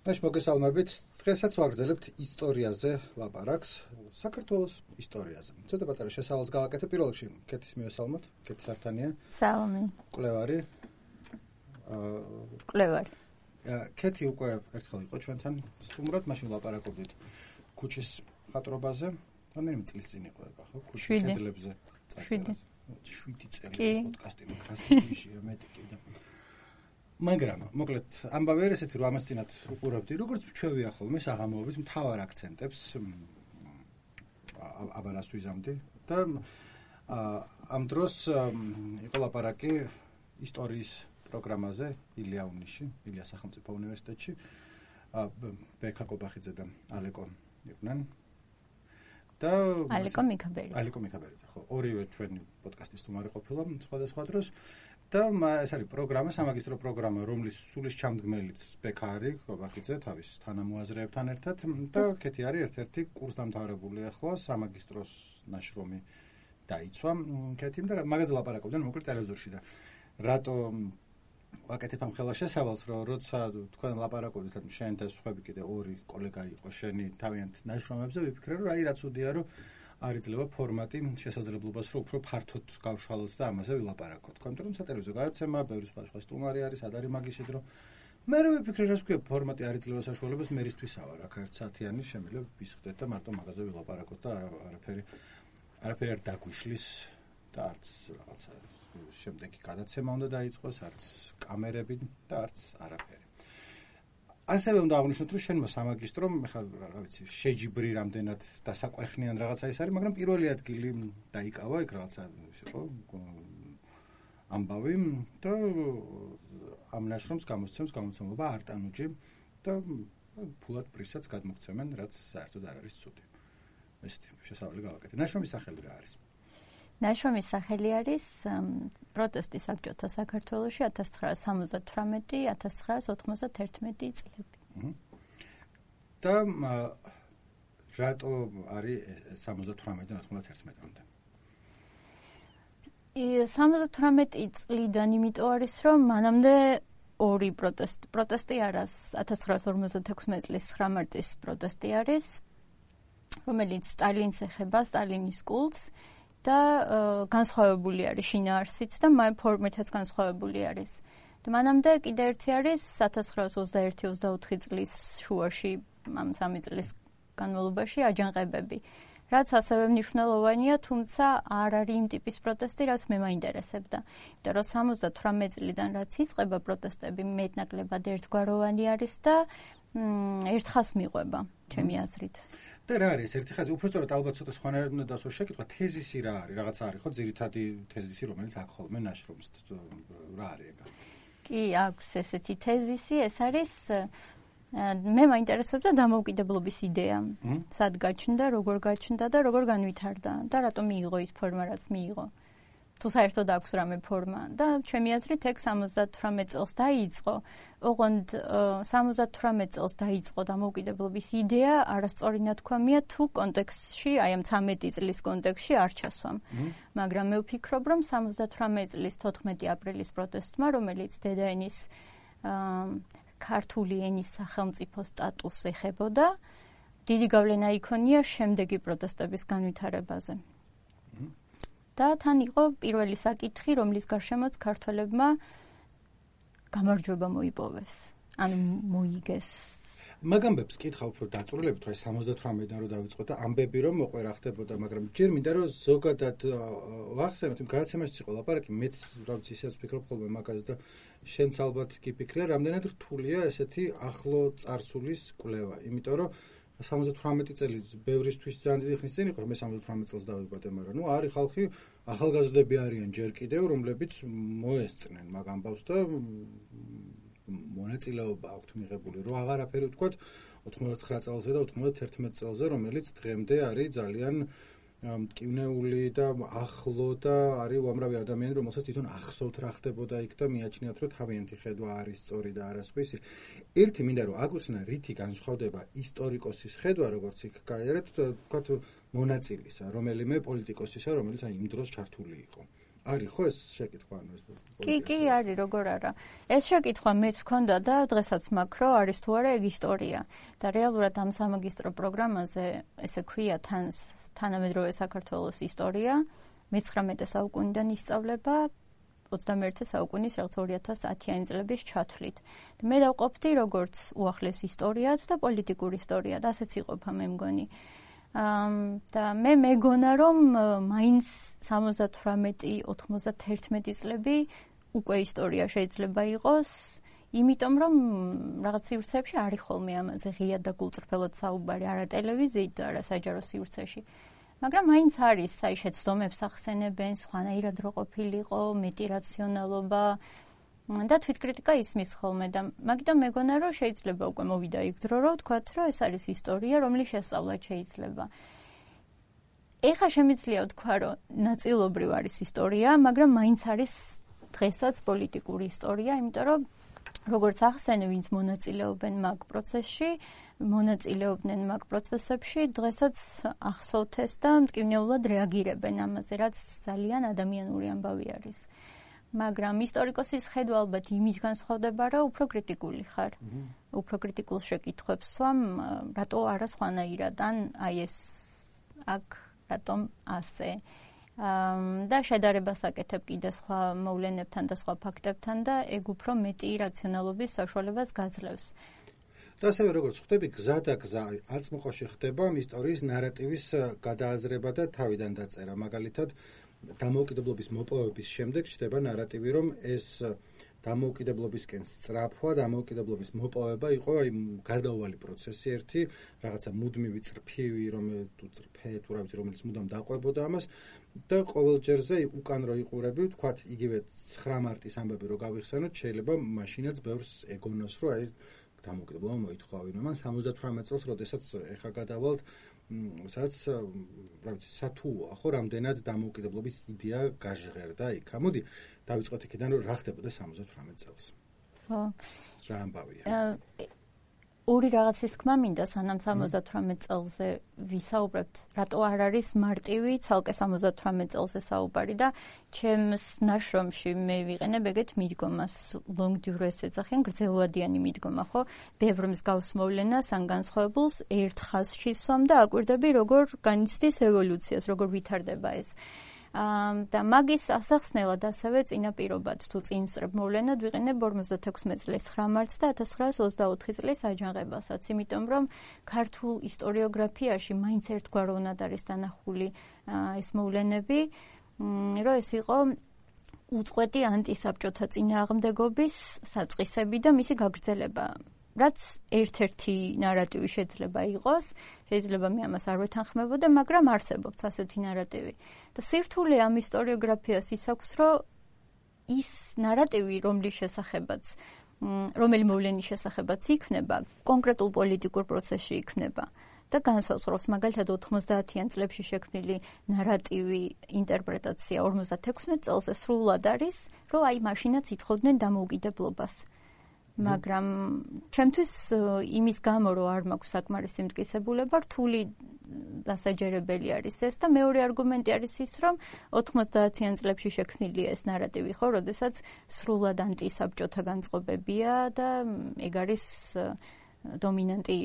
მაშ მოგესალმებით. დღესაც ვაგრძელებთ ისტორიაზე ლაპარაკს, საქართველოს ისტორიაზე. ცოტა პატარა შესავალს გავაკეთე. პირველ რიგში კეთის მივესალმოთ. კეთი სართანია. სალამი. კვლევარი. კვლევარი. კეთი უკვე ერთხელ იყო ჩვენთან სტუმრად, მაშინ ლაპარაკობდით ქუჩის ხატრობაზე. რამდენი წლის წინ იყო ეხლა, ხო? ქუჩის კედლებზე. 7 წელი პოდკასტი მოკრასიში მეტი კიდე. მაგრამ მოკლედ ამბავი არის ესეთი, რომ ამას წინათ უყურებდი, როგორც ჩვევია ხოლმე საღამოობის მთავარ აქცენტებს აბარას ვიზამდი და ამ დროს იყო ლაპარაკი ისტორიის პროგრამაზე ილია სახელმწიფო უნივერსიტეტში. ბექა კობახიძე და ალეკო იყვნენ. და ალეკო მიქაბერიძე, ხო, ორივე ჩვენი პოდკასტის სტუმარი ყოფილა სხვადასხვა დროს. და ეს არის პროგრამა, სამაგისტრო პროგრამა, რომლის სულის ჩამდგმელიც ბექა არის, კობახიძე თავის თანამოაზრეებთან ერთად და კეთი არის ერთ-ერთი კურსდამთავრებული ახლა სამაგისტროს ნაშრომი დაიცვა კეთიმ და მაგაზე ლაპარაკობდნენ მოკლედ ტელევიზორში და რატო ვაკეთებ ამ ხელა შესავალს, რომ როცა თქვენ ლაპარაკობდით შენ და სხვები კიდე ორი კოლეგა იყო შენი თავიანთ ნაშრომებზე, ვიფიქრე რომ აი რაც უდია რომ არ იძლევა ფორმატი შესაძლებლობას რომ უფრო ფართოდ გავშალოთ და ამაზე ვილაპარაკოთ. იმიტომ რომ სატელევიზიო გადაცემა, ბევრი სხვა სტუმარი არის, არ არის მაგის დრო. მე რო ვიფიქრე რა თქვია ფორმატი არ იძლევა საშუალებას მერისთვისაა რა, აქ 1 საათიანი შემიძლია ვისხდეთ და მარტო მაგაზე ვილაპარაკოთ და არაფერი არ დაგვიშლის და არც რაღაცა შემდეგი გადაცემა უნდა დაიწყოს, არც კამერები და არც არაფერი. ასევე უნდა აღნიშნოთ, რომ შენმა სამაგისტრომ, ხა რა ვიცი, შეჯიბრი რამდენად დასაკვეხნიან რაღაცა ის არის, მაგრამ პირველი ადგილი დაიკავა, იქ რაღაცა იყო ამბავი და ამ ნაშრომს გამოსცემს გამომცემლობა არტანუჯი და ფულად პრისაც გადმოგცემენ, რაც საერთოდ არ არის ცუდი. ესეთი შესავალი გავაკეთე. ნაშრომის სახელი რა არის? ნაშრომის სახელი არის პროტესტი საბჭოთა საქართველოში 1978-1991 წლები. და რატო არის 78-91-მდე? 78 წლიდან იმიტომ არის, რომ მანამდე ორი პროტესტი არის 1956 წლის 9 მარტის პროტესტი არის, რომელიც სტალინს ეხება, სტალინის კულტს და განსხვავებული არის შინაარსით და ფორმითაც განსხვავებული არის. და მანამდე კიდე ერთი არის 1921-24 წლის შუაში, ამ 3 წლის განმავლობაში აჯანყებები. რაც ასევე მნიშვნელოვანია, თუმცა არ არის იმ ტიპის პროტესტი, რაც მე მაინტერესებდა. იმიტომ რომ 78 წლიდან რაც იწყება პროტესტები მეტნაკლებად ერთგვაროვანი არის და ერთხას მიყვება, ჩემი აზრით. და რა არის ერთი ხაზი? უბრალოდ ალბათ ცოტა სხვანაირად უნდა დასვა შეკითხვა, თეზისი რა არის? რაღაცა არის ხო ძირითადი თეზისი, რომელიც აქ ხოლმე ნაშრომს რა არის ეგ? კი, აქვს ესეთი თეზისი, ეს არის მე მაინტერესებდა დამოუკიდებლობის იდეა. სად გაჩნდა, როგორ გაჩნდა და როგორ განვითარდა და რატომ მიიღო ის ფორმა, რაც მიიღო. თუ საერთოდ აქვს რამე ფორმა და ჩემი აზრით ეგ 78 წელს დაიწყო. ოღონდ 78 წელს დაიწყო დამოუკიდებლობის იდეა, არასწორი ნათქვამია თუ კონტექსტში, აი ამ 13 წლის კონტექსტში არ ჩასვამ. მაგრამ მე ვფიქრობ, რომ 78 წლის 14 აპრილის პროტესტმა, რომელიც დედაენის ქართული ენის სახელმწიფო სტატუსს ეხებოდა, დიდი გავლენა იქონია შემდეგი პროტესტების განვითარებაზე. და თან იყო პირველი საკითხი, რომლის გარშემოც ქართველებმა გამარჯვება მოიპოვეს. ანუ მოიგეს. მაგამბებს კითხავ უფრო დაწვრილებით, რომ 78-დან რომ დავიწყოთ და ამბები რომ მოყვე რა ხდებოდა, მაგრამ ჯერ მინდა რომ ზოგადად ვახსენოთ, იმ გადაცემაში იყო ლაპარაკი, მეც რა ვიცი, ისეც ვფიქრობ ხოლმე მაგაზე და შენც ალბათ კი ფიქრია, რამდენად რთულია ესეთი ახლო წარსულის კვლევა, იმიტომ რომ 78 წელი ბევრისთვის ძალიან დიდი ხნის წინ იყო, მე 78 წელს დავიბადე, მაგრამ ნუ არის ხალხი, ახალგაზრდები არიან ჯერ კიდევ, რომლებიც მოესწრნენ მაგ ამბავს და მონაწილეობა აქვთ მიღებული, რომ აღარაფერი ვთქვათ 99 წელზე და 91 წელზე, რომელიც დღემდე არის ძალიან მტკივნეული და ახლო და არის უამრავი ადამიანი, რომელსაც თვითონ ახსოვთ რა ხდებოდა იქ და მიაჩნიათ, რომ თავიანთი ხედვა არის სწორი და არასხვისი. ერთი მინდა რომ აგვიხსნა რითი განსხვავდება ისტორიკოსის ხედვა, როგორც იქ გაიარეთ, ვთქვათ მონაწილისა, რომელიმე პოლიტიკოსისა, რომელიც იმ დროს ჩართული იყო. არის ხო ეს შეკითხვა ანუ ეს კი არის როგორ არა ეს შეკითხვა მეც მქონდა და დღესაც მაქვს რომ არის თუ არა ეგ ისტორია და რეალურად ამ სამაგისტრო პროგრამაზე ესე ქვია თანამედროვე საქართველოს ისტორია მე-19 საუკუნიდან ისწავლება 21 საუკუნის რაღაც 2010-იანი წლების ჩათვლით. მე დავყოფდი როგორც უახლეს ისტორიად და პოლიტიკურ ისტორიად, ასეც იყოფა მე მგონი. და მე მეგონა რომ მაინც 78-91 წლები უკვე ისტორია შეიძლება იყოს, იმიტომ რომ რაღაც სივრცეებში არის ხოლმე ამაზე ღია და გულწრფელად საუბარი არა ტელევიზიით და არა საჯარო სივრცეში. მაგრამ მაინც არის აი შეცდომებს ახსენებენ, სხვანაირად რო ყოფილიყო, მეტი რაციონალობა და თვითკრიტიკა ისმის ხოლმე და მაგიტომ მეგონა რომ შეიძლება უკვე მოვიდა იქ დრო რომ ვთქვათ რომ ეს არის ისტორია, რომლის შესწავლაც შეიძლება. ეხლა შემიძლია ვთქვა რომ ნაწილობრივ არის ისტორია, მაგრამ მაინც არის დღესაც პოლიტიკური ისტორია, იმიტომ რომ როგორც ახსენე, ვინც მონაწილეობენ მაგ პროცესში, მონაწილეობდნენ მაგ პროცესებში, დღესაც ახსოვთ ეს და მტკივნეულად რეაგირებენ ამაზე, რაც ძალიან ადამიანური ამბავი არის. მაგრამ ისტორიკოსის ხედვა ალბათ იმით განსხვავდება, რომ უფრო კრიტიკული ხარ. უფრო კრიტიკულ შეკითხვებს სვამ, რატო არა სხვანაირად, ან აი ეს აქ რატომ ასე. და შედარებას აკეთებ კიდე სხვა მოვლენებთან და სხვა ფაქტებთან და ეგ უფრო მეტი რაციონალობის საშუალებას გაძლევს. და ასევე როგორც ხვდები, გზა და გზა აწმყოში ხდება ისტორიის ნარატივის გადააზრება და თავიდან დაწერა. მაგალითად, დამოუკიდებლობის მოპოვების შემდეგ ჩნდება ნარატივი, რომ ეს დამოუკიდებლობისკენ სწრაფვა, დამოუკიდებლობის მოპოვება იყო აი გარდაუვალი პროცესი ერთი, რაღაცა მუდმივი წრფივი, რომელიც მუდამ დაყვებოდა ამას და ყოველ ჯერზე უკან რო იყურები, ვთქვათ, იგივე 9 მარტის ამბები რო გავიხსენოთ, შეიძლება მაშინაც ბევრს ეგონოს, რომ აი დამოუკიდებლობა მოითხოვა ვინმე. მან 78 წელს, როდესაც ეხა გადავალთ, სადაც რა ვიცი, სათუოა ხო, რამდენად დამოუკიდებლობის იდეა გაჟღერდა იქ. მოდი, დავიწყოთ იქიდან, რომ რა ხდებოდა 78 წელს. ხო. რა ამბავია? ორი რაღაცის თქმა მინდა, სანამ 78 წელზე ვისაუბრებთ, რატო არ არის მარტივი ცალკე 78 წელზე საუბარი და ჩემს ნაშრომში მე ვიყენებ ეგეთ მიდგომას, long duress ეძახიან, გრძელვადიანი მიდგომა, ხო? ბევრ მსგავს მოვლენას ან განსხვავებულს ერთ ხაზში სვამ და აკვირდები, როგორ განიცდის ევოლუციას, როგორ ვითარდება ეს. და მაგის ასახსნელად ასევე წინაპირობად თუ წინსწრებ მოვლენად ვიყენებ 56 წლის 9 მარტს და 1924 წლის აჯანყებასაც, იმიტომ რომ ქართულ ისტორიოგრაფიაში მაინც ერთგვაროვნად არის დანახული ეს მოვლენები, რომ ეს იყო უწყვეტი ანტისაბჭოთა წინააღმდეგობის საწყისები და მისი გაგრძელება. რაც ერთ-ერთი ნარატივი შეიძლება იყოს, შეიძლება მე ამას არ ვეთანხმებოდე, მაგრამ არსებობს ასეთი ნარატივი. და სირთულე ამ ისტორიოგრაფიას ის აქვს, რომ ის ნარატივი, რომელი მოვლენის შესახებაც იქნება, კონკრეტულ პოლიტიკურ პროცესში იქნება და განსაზღვრავს მაგალითად 90-იან წლებში შექმნილი ნარატივი, ინტერპრეტაცია 56 წელზე სრულად არის, რომ აი მაშინაც ითხოვდნენ დამოუკიდებლობას. მაგრამ ჩემთვის იმის გამო რომ არ მაქვს საკმარისი მტკიცებულება, რთული დასაჯერებელი არის ეს და მეორე არგუმენტი არის ის, რომ 90-იან წლებში შექმნილი ეს ნარატივი ხო, როდესაც სრულად ანტისაბჭოთა განწყობებია და ეგ არის დომინანტი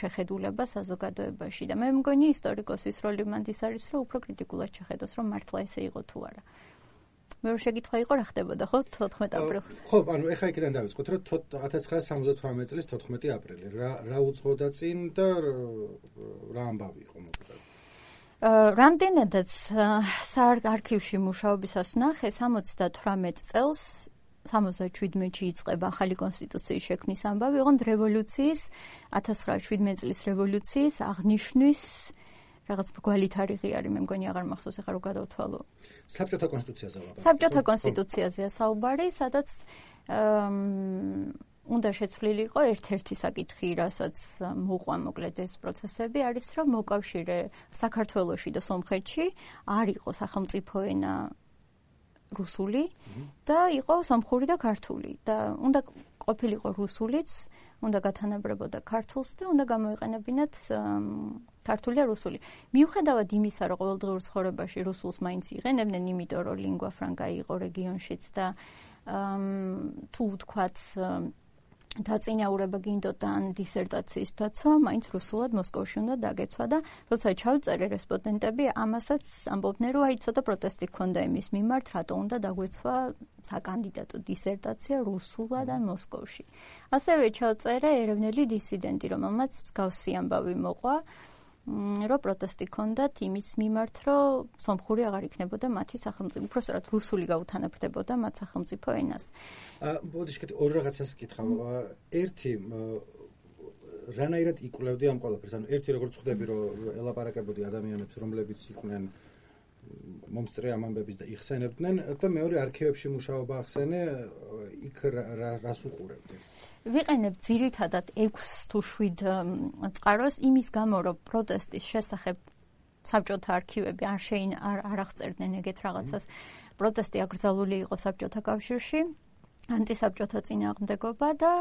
შეხედულება საზოგადოებაში და მე მგონი ისტორიკოსის როლი მანდ ის არის, რომ უფრო კრიტიკულად შეხედოს, რომ მართლა ესე იყო თუ არა. მე შეკითხვა იყო რა ხდებოდა ხო 14 აპრილს. ხო, ანუ ეხა იქიდან დავიწყოთ, რომ 1978 წლის 14 აპრილი რა უძღოდა წინ და რა ამბავი იყო მოკლედ. რამდენადაც საარქივში მუშაობისას ვნახე 78 წელს 77-ში იწყება ახალი კონსტიტუციის შექმნის ამბავი, ოღონდ რევოლუციის 1917 წლის რევოლუციის აღნიშვნის რაღაც მრგვალი თარიღი არის, მე მგონი აღარ მახსოვს ახლა რო გადავთვალო. საბჭოთა კონსტიტუციაზე საუბარი. საბჭოთა კონსტიტუციაზეა საუბარი, სადაც უნდა შეცვლილიყო ერთ-ერთი საკითხი, რასაც მოყვა მოკლედ ეს პროცესები, არის რომ მოკავშირე საქართველოში და სომხეთში არ იყო სახელმწიფო ენა რუსული და იყო სომხური და ქართული და უნდა ყოფილიყო რუსულიც, უნდა გათანაბრებოდა ქართულს და უნდა გამოიყენებინათ ქართული და რუსული. მიუხედავად იმისა, რომ ყოველდღიურ ცხოვრებაში რუსულს მაინც იყენებდნენ, იმიტომ რომ lingua franca იყო რეგიონშიც და თუ თქვათ დაწინაურება გინდოდა ან დისერტაციის დაცვა, მაინც რუსულად მოსკოვში უნდა დაგეცვა და როცა ჩავწერე რესპონდენტები, ამასაც ამბობდნენ, რომ ცოტა პროტესტი ჰქონდა იმის მიმართ, რატო უნდა დაგვეცვა საკანდიდატო დისერტაცია რუსულად ან მოსკოვში. ასევე ჩავწერე ეროვნული დისიდენტი, რომელმაც მსგავსი ამბავი მოყვა, რომ პროტესტი ჰქონდათ იმის მიმართ, რომ სომხური აღარ იქნებოდა მათი სახელმწიფო, უბრალოდ რუსული გაუთანაბრდებოდა მათ სახელმწიფო ენას. ბოდიშკეთი ორ რაღაცას კითხავ. ერთი რანაირად იკვლევდი ამ ყველაფერს? ანუ ერთი როგორც ხვდები, რომ ელაპარაკებოდი ადამიანებს, რომლებიც იყვნენ მომსწრე ამ ამბების და იხსენებდნენ და მეორე არქივებში მუშაობა ახსენე, იქ რას უყურებდი? ვიყენებ ძირითადად 6 თუ 7 წყაროს იმის გამო, რომ პროტესტის შესახებ საბჭოთა არქივები არ აღწერდნენ ეგეთ რაღაცას. პროტესტი აკრძალული იყო საბჭოთა კავშირში, ანტისაბჭოთა წინააღმდეგობა და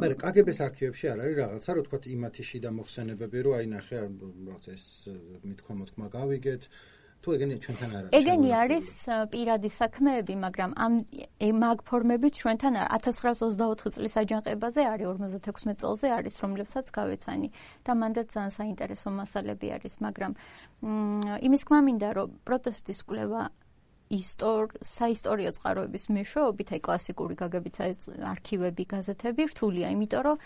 მაგრამ კგბ-ს არქივებში არ არის რაღაცა, რომ თქვათ იმათი შიდა მოხსენებები, რომ აი ნახე, რაღაცა ეს მithქვა-მოთქმა გავიგეთ. თუ ეგენი ჩვენთან არ არის. ეგენი არის პირადი საქმეები, მაგრამ მაგ ფორმებით ჩვენთან 1924 წლის აჯანყებაზე არის 56 წელზე არის, რომლებსაც გავეცანი და მანდაც ძალიან საინტერესო მასალები არის, მაგრამ იმის თქმა მინდა, რომ პროტესტის კვლევა საისტორიო წყაროების მეშვეობით, აი კლასიკური გაგებითა არქივები, გაზეთები რთულია, იმიტომ რომ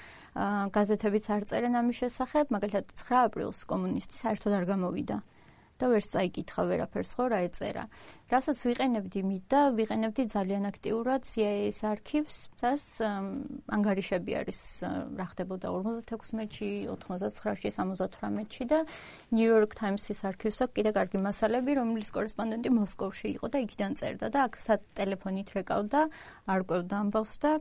გაზეთებიც არ წერენ ამის შესახებ, მაგალითად 9 აპრილს კომუნისტი საერთოდ არ გამოვიდა. და ვერც წაიკითხა ვერაფერს ხო რა ეწერა. რასაც ვიყენებდი და ვიყენებდი ძალიან აქტიურად CIA-ის არქივს, სადაც ანგარიშები არის რა ხდებოდა 56-ში, 99-ში, 78-ში და New York Times-ის არქივს აქვს კიდე კარგი მასალები, რომლის კორესპონდენტი მოსკოვში იყო და იქიდან წერდა და აქ ტელეფონით რეკავდა, არკვევდა ამბავს და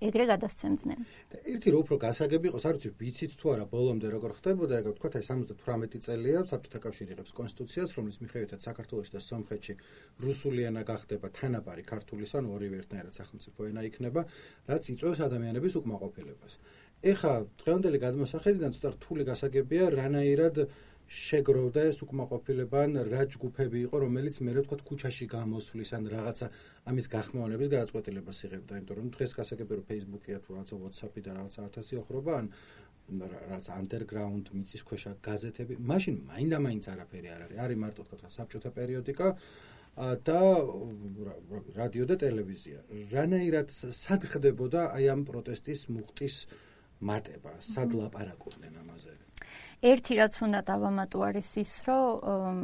ეგრე გადასცემდნენ. და ერთი რო უფრო გასაგები იყოს, არ ვიცი, ვიცით თუ არა ბოლომდე როგორ ხდებოდა, ეგ ვთქვათ, აი 78 წელია საბჭოთა კავშირი იღებს კონსტიტუციას, რომლის მიხედვითაც საქართველოში და სომხეთში რუსული ენა გახდება თანაბარი ქართულის, ანუ ორივე ერთნაირად სახელმწიფო ენა იქნება, რაც იწვევს ადამიანების უკმაყოფილებას. ეხა დღევანდელი გადმოსახედიდან ცოტა რთული გასაგებია, რანაირად შეგროვდა ეს უკმაყოფილება, რა ჯგუფები იყო, რომელიც მე ვთქვათ ქუჩაში გამოსვლის ან რაღაცა ამის გახმოვანების გადაწყვეტილებას იღებდა, იმიტომ რომ დღეს გასაგები რომ Facebook-ია თუ რაღაცა WhatsApp-ი და რაღაცა 1000 ოხრობა ან რაღაც underground მიწისქვეშა გაზეთები, მაშინ მაინდა-მაინც არაფერი არ არის. არის მარტო თქვა საბჭოთა პერიოდიკა და რადიო და ტელევიზია. რანაირად სად ხდებოდა აი ამ პროტესტის მუხტის მატება, სად ლაპარაკობდნენ ამაზე? ერთი რაც უნდა დავამატო არის ის, რომ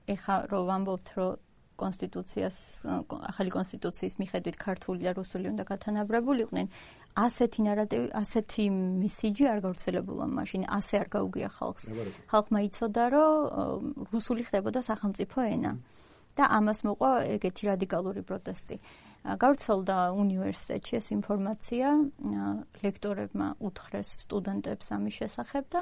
ეხა რომ ვამბობთ, რომ ახალი კონსტიტუციის მიხედვით ქართული და რუსული უნდა გათანაბრებულიყვნენ, ასეთი ნარატივი, ასეთი მესიჯი არ გავრცელებულა მაშინ, ასე არ გაუგია ხალხს. ხალხმა იცოდა, რომ რუსული ხდებოდა სახელმწიფო ენა და ამას მოყვა ეგეთი რადიკალური პროტესტი. გავრცელდა უნივერსიტეტში ეს ინფორმაცია, ლექტორებმა უთხრეს სტუდენტებს ამის შესახებ და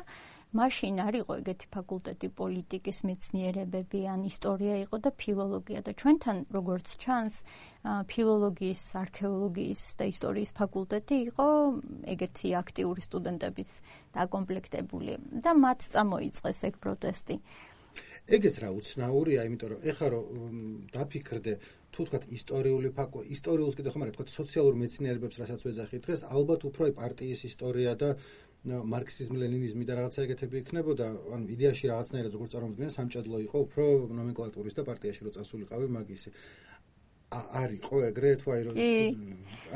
მაშინ არ იყო ეგეთი ფაკულტეტი, პოლიტიკის მეცნიერებები ან ისტორია იყო და ფილოლოგია და ჩვენთან როგორც ჩანს, ფილოლოგიის, არქეოლოგიის და ისტორიის ფაკულტეტი იყო ეგეთი აქტიური სტუდენტების დაკომპლექტებული და მათ წამოიწყეს ეგ პროტესტი. ეგეც რა უცნაურია, იმიტომ რომ ეხლა რომ დაფიქრდე, თუ თქვათ ისტორიულს კიდე ხომ არა, თქვათ სოციალურ მეცნიერებებს რასაც ვეძახით დღეს, ალბათ უფრო პარტიის ისტორია და მარქსიზმი, ლენინიზმი და რაღაცა ეგეთები იქნებოდა, ანუ იდეაში რაღაცნაირად როგორც წარმოვიდგინე, სამჭედლო იყო უფრო ნომენკლატურის და პარტიაში რო წასულიყავი მაგისი. არ იყო ეგრე თუ აი რომ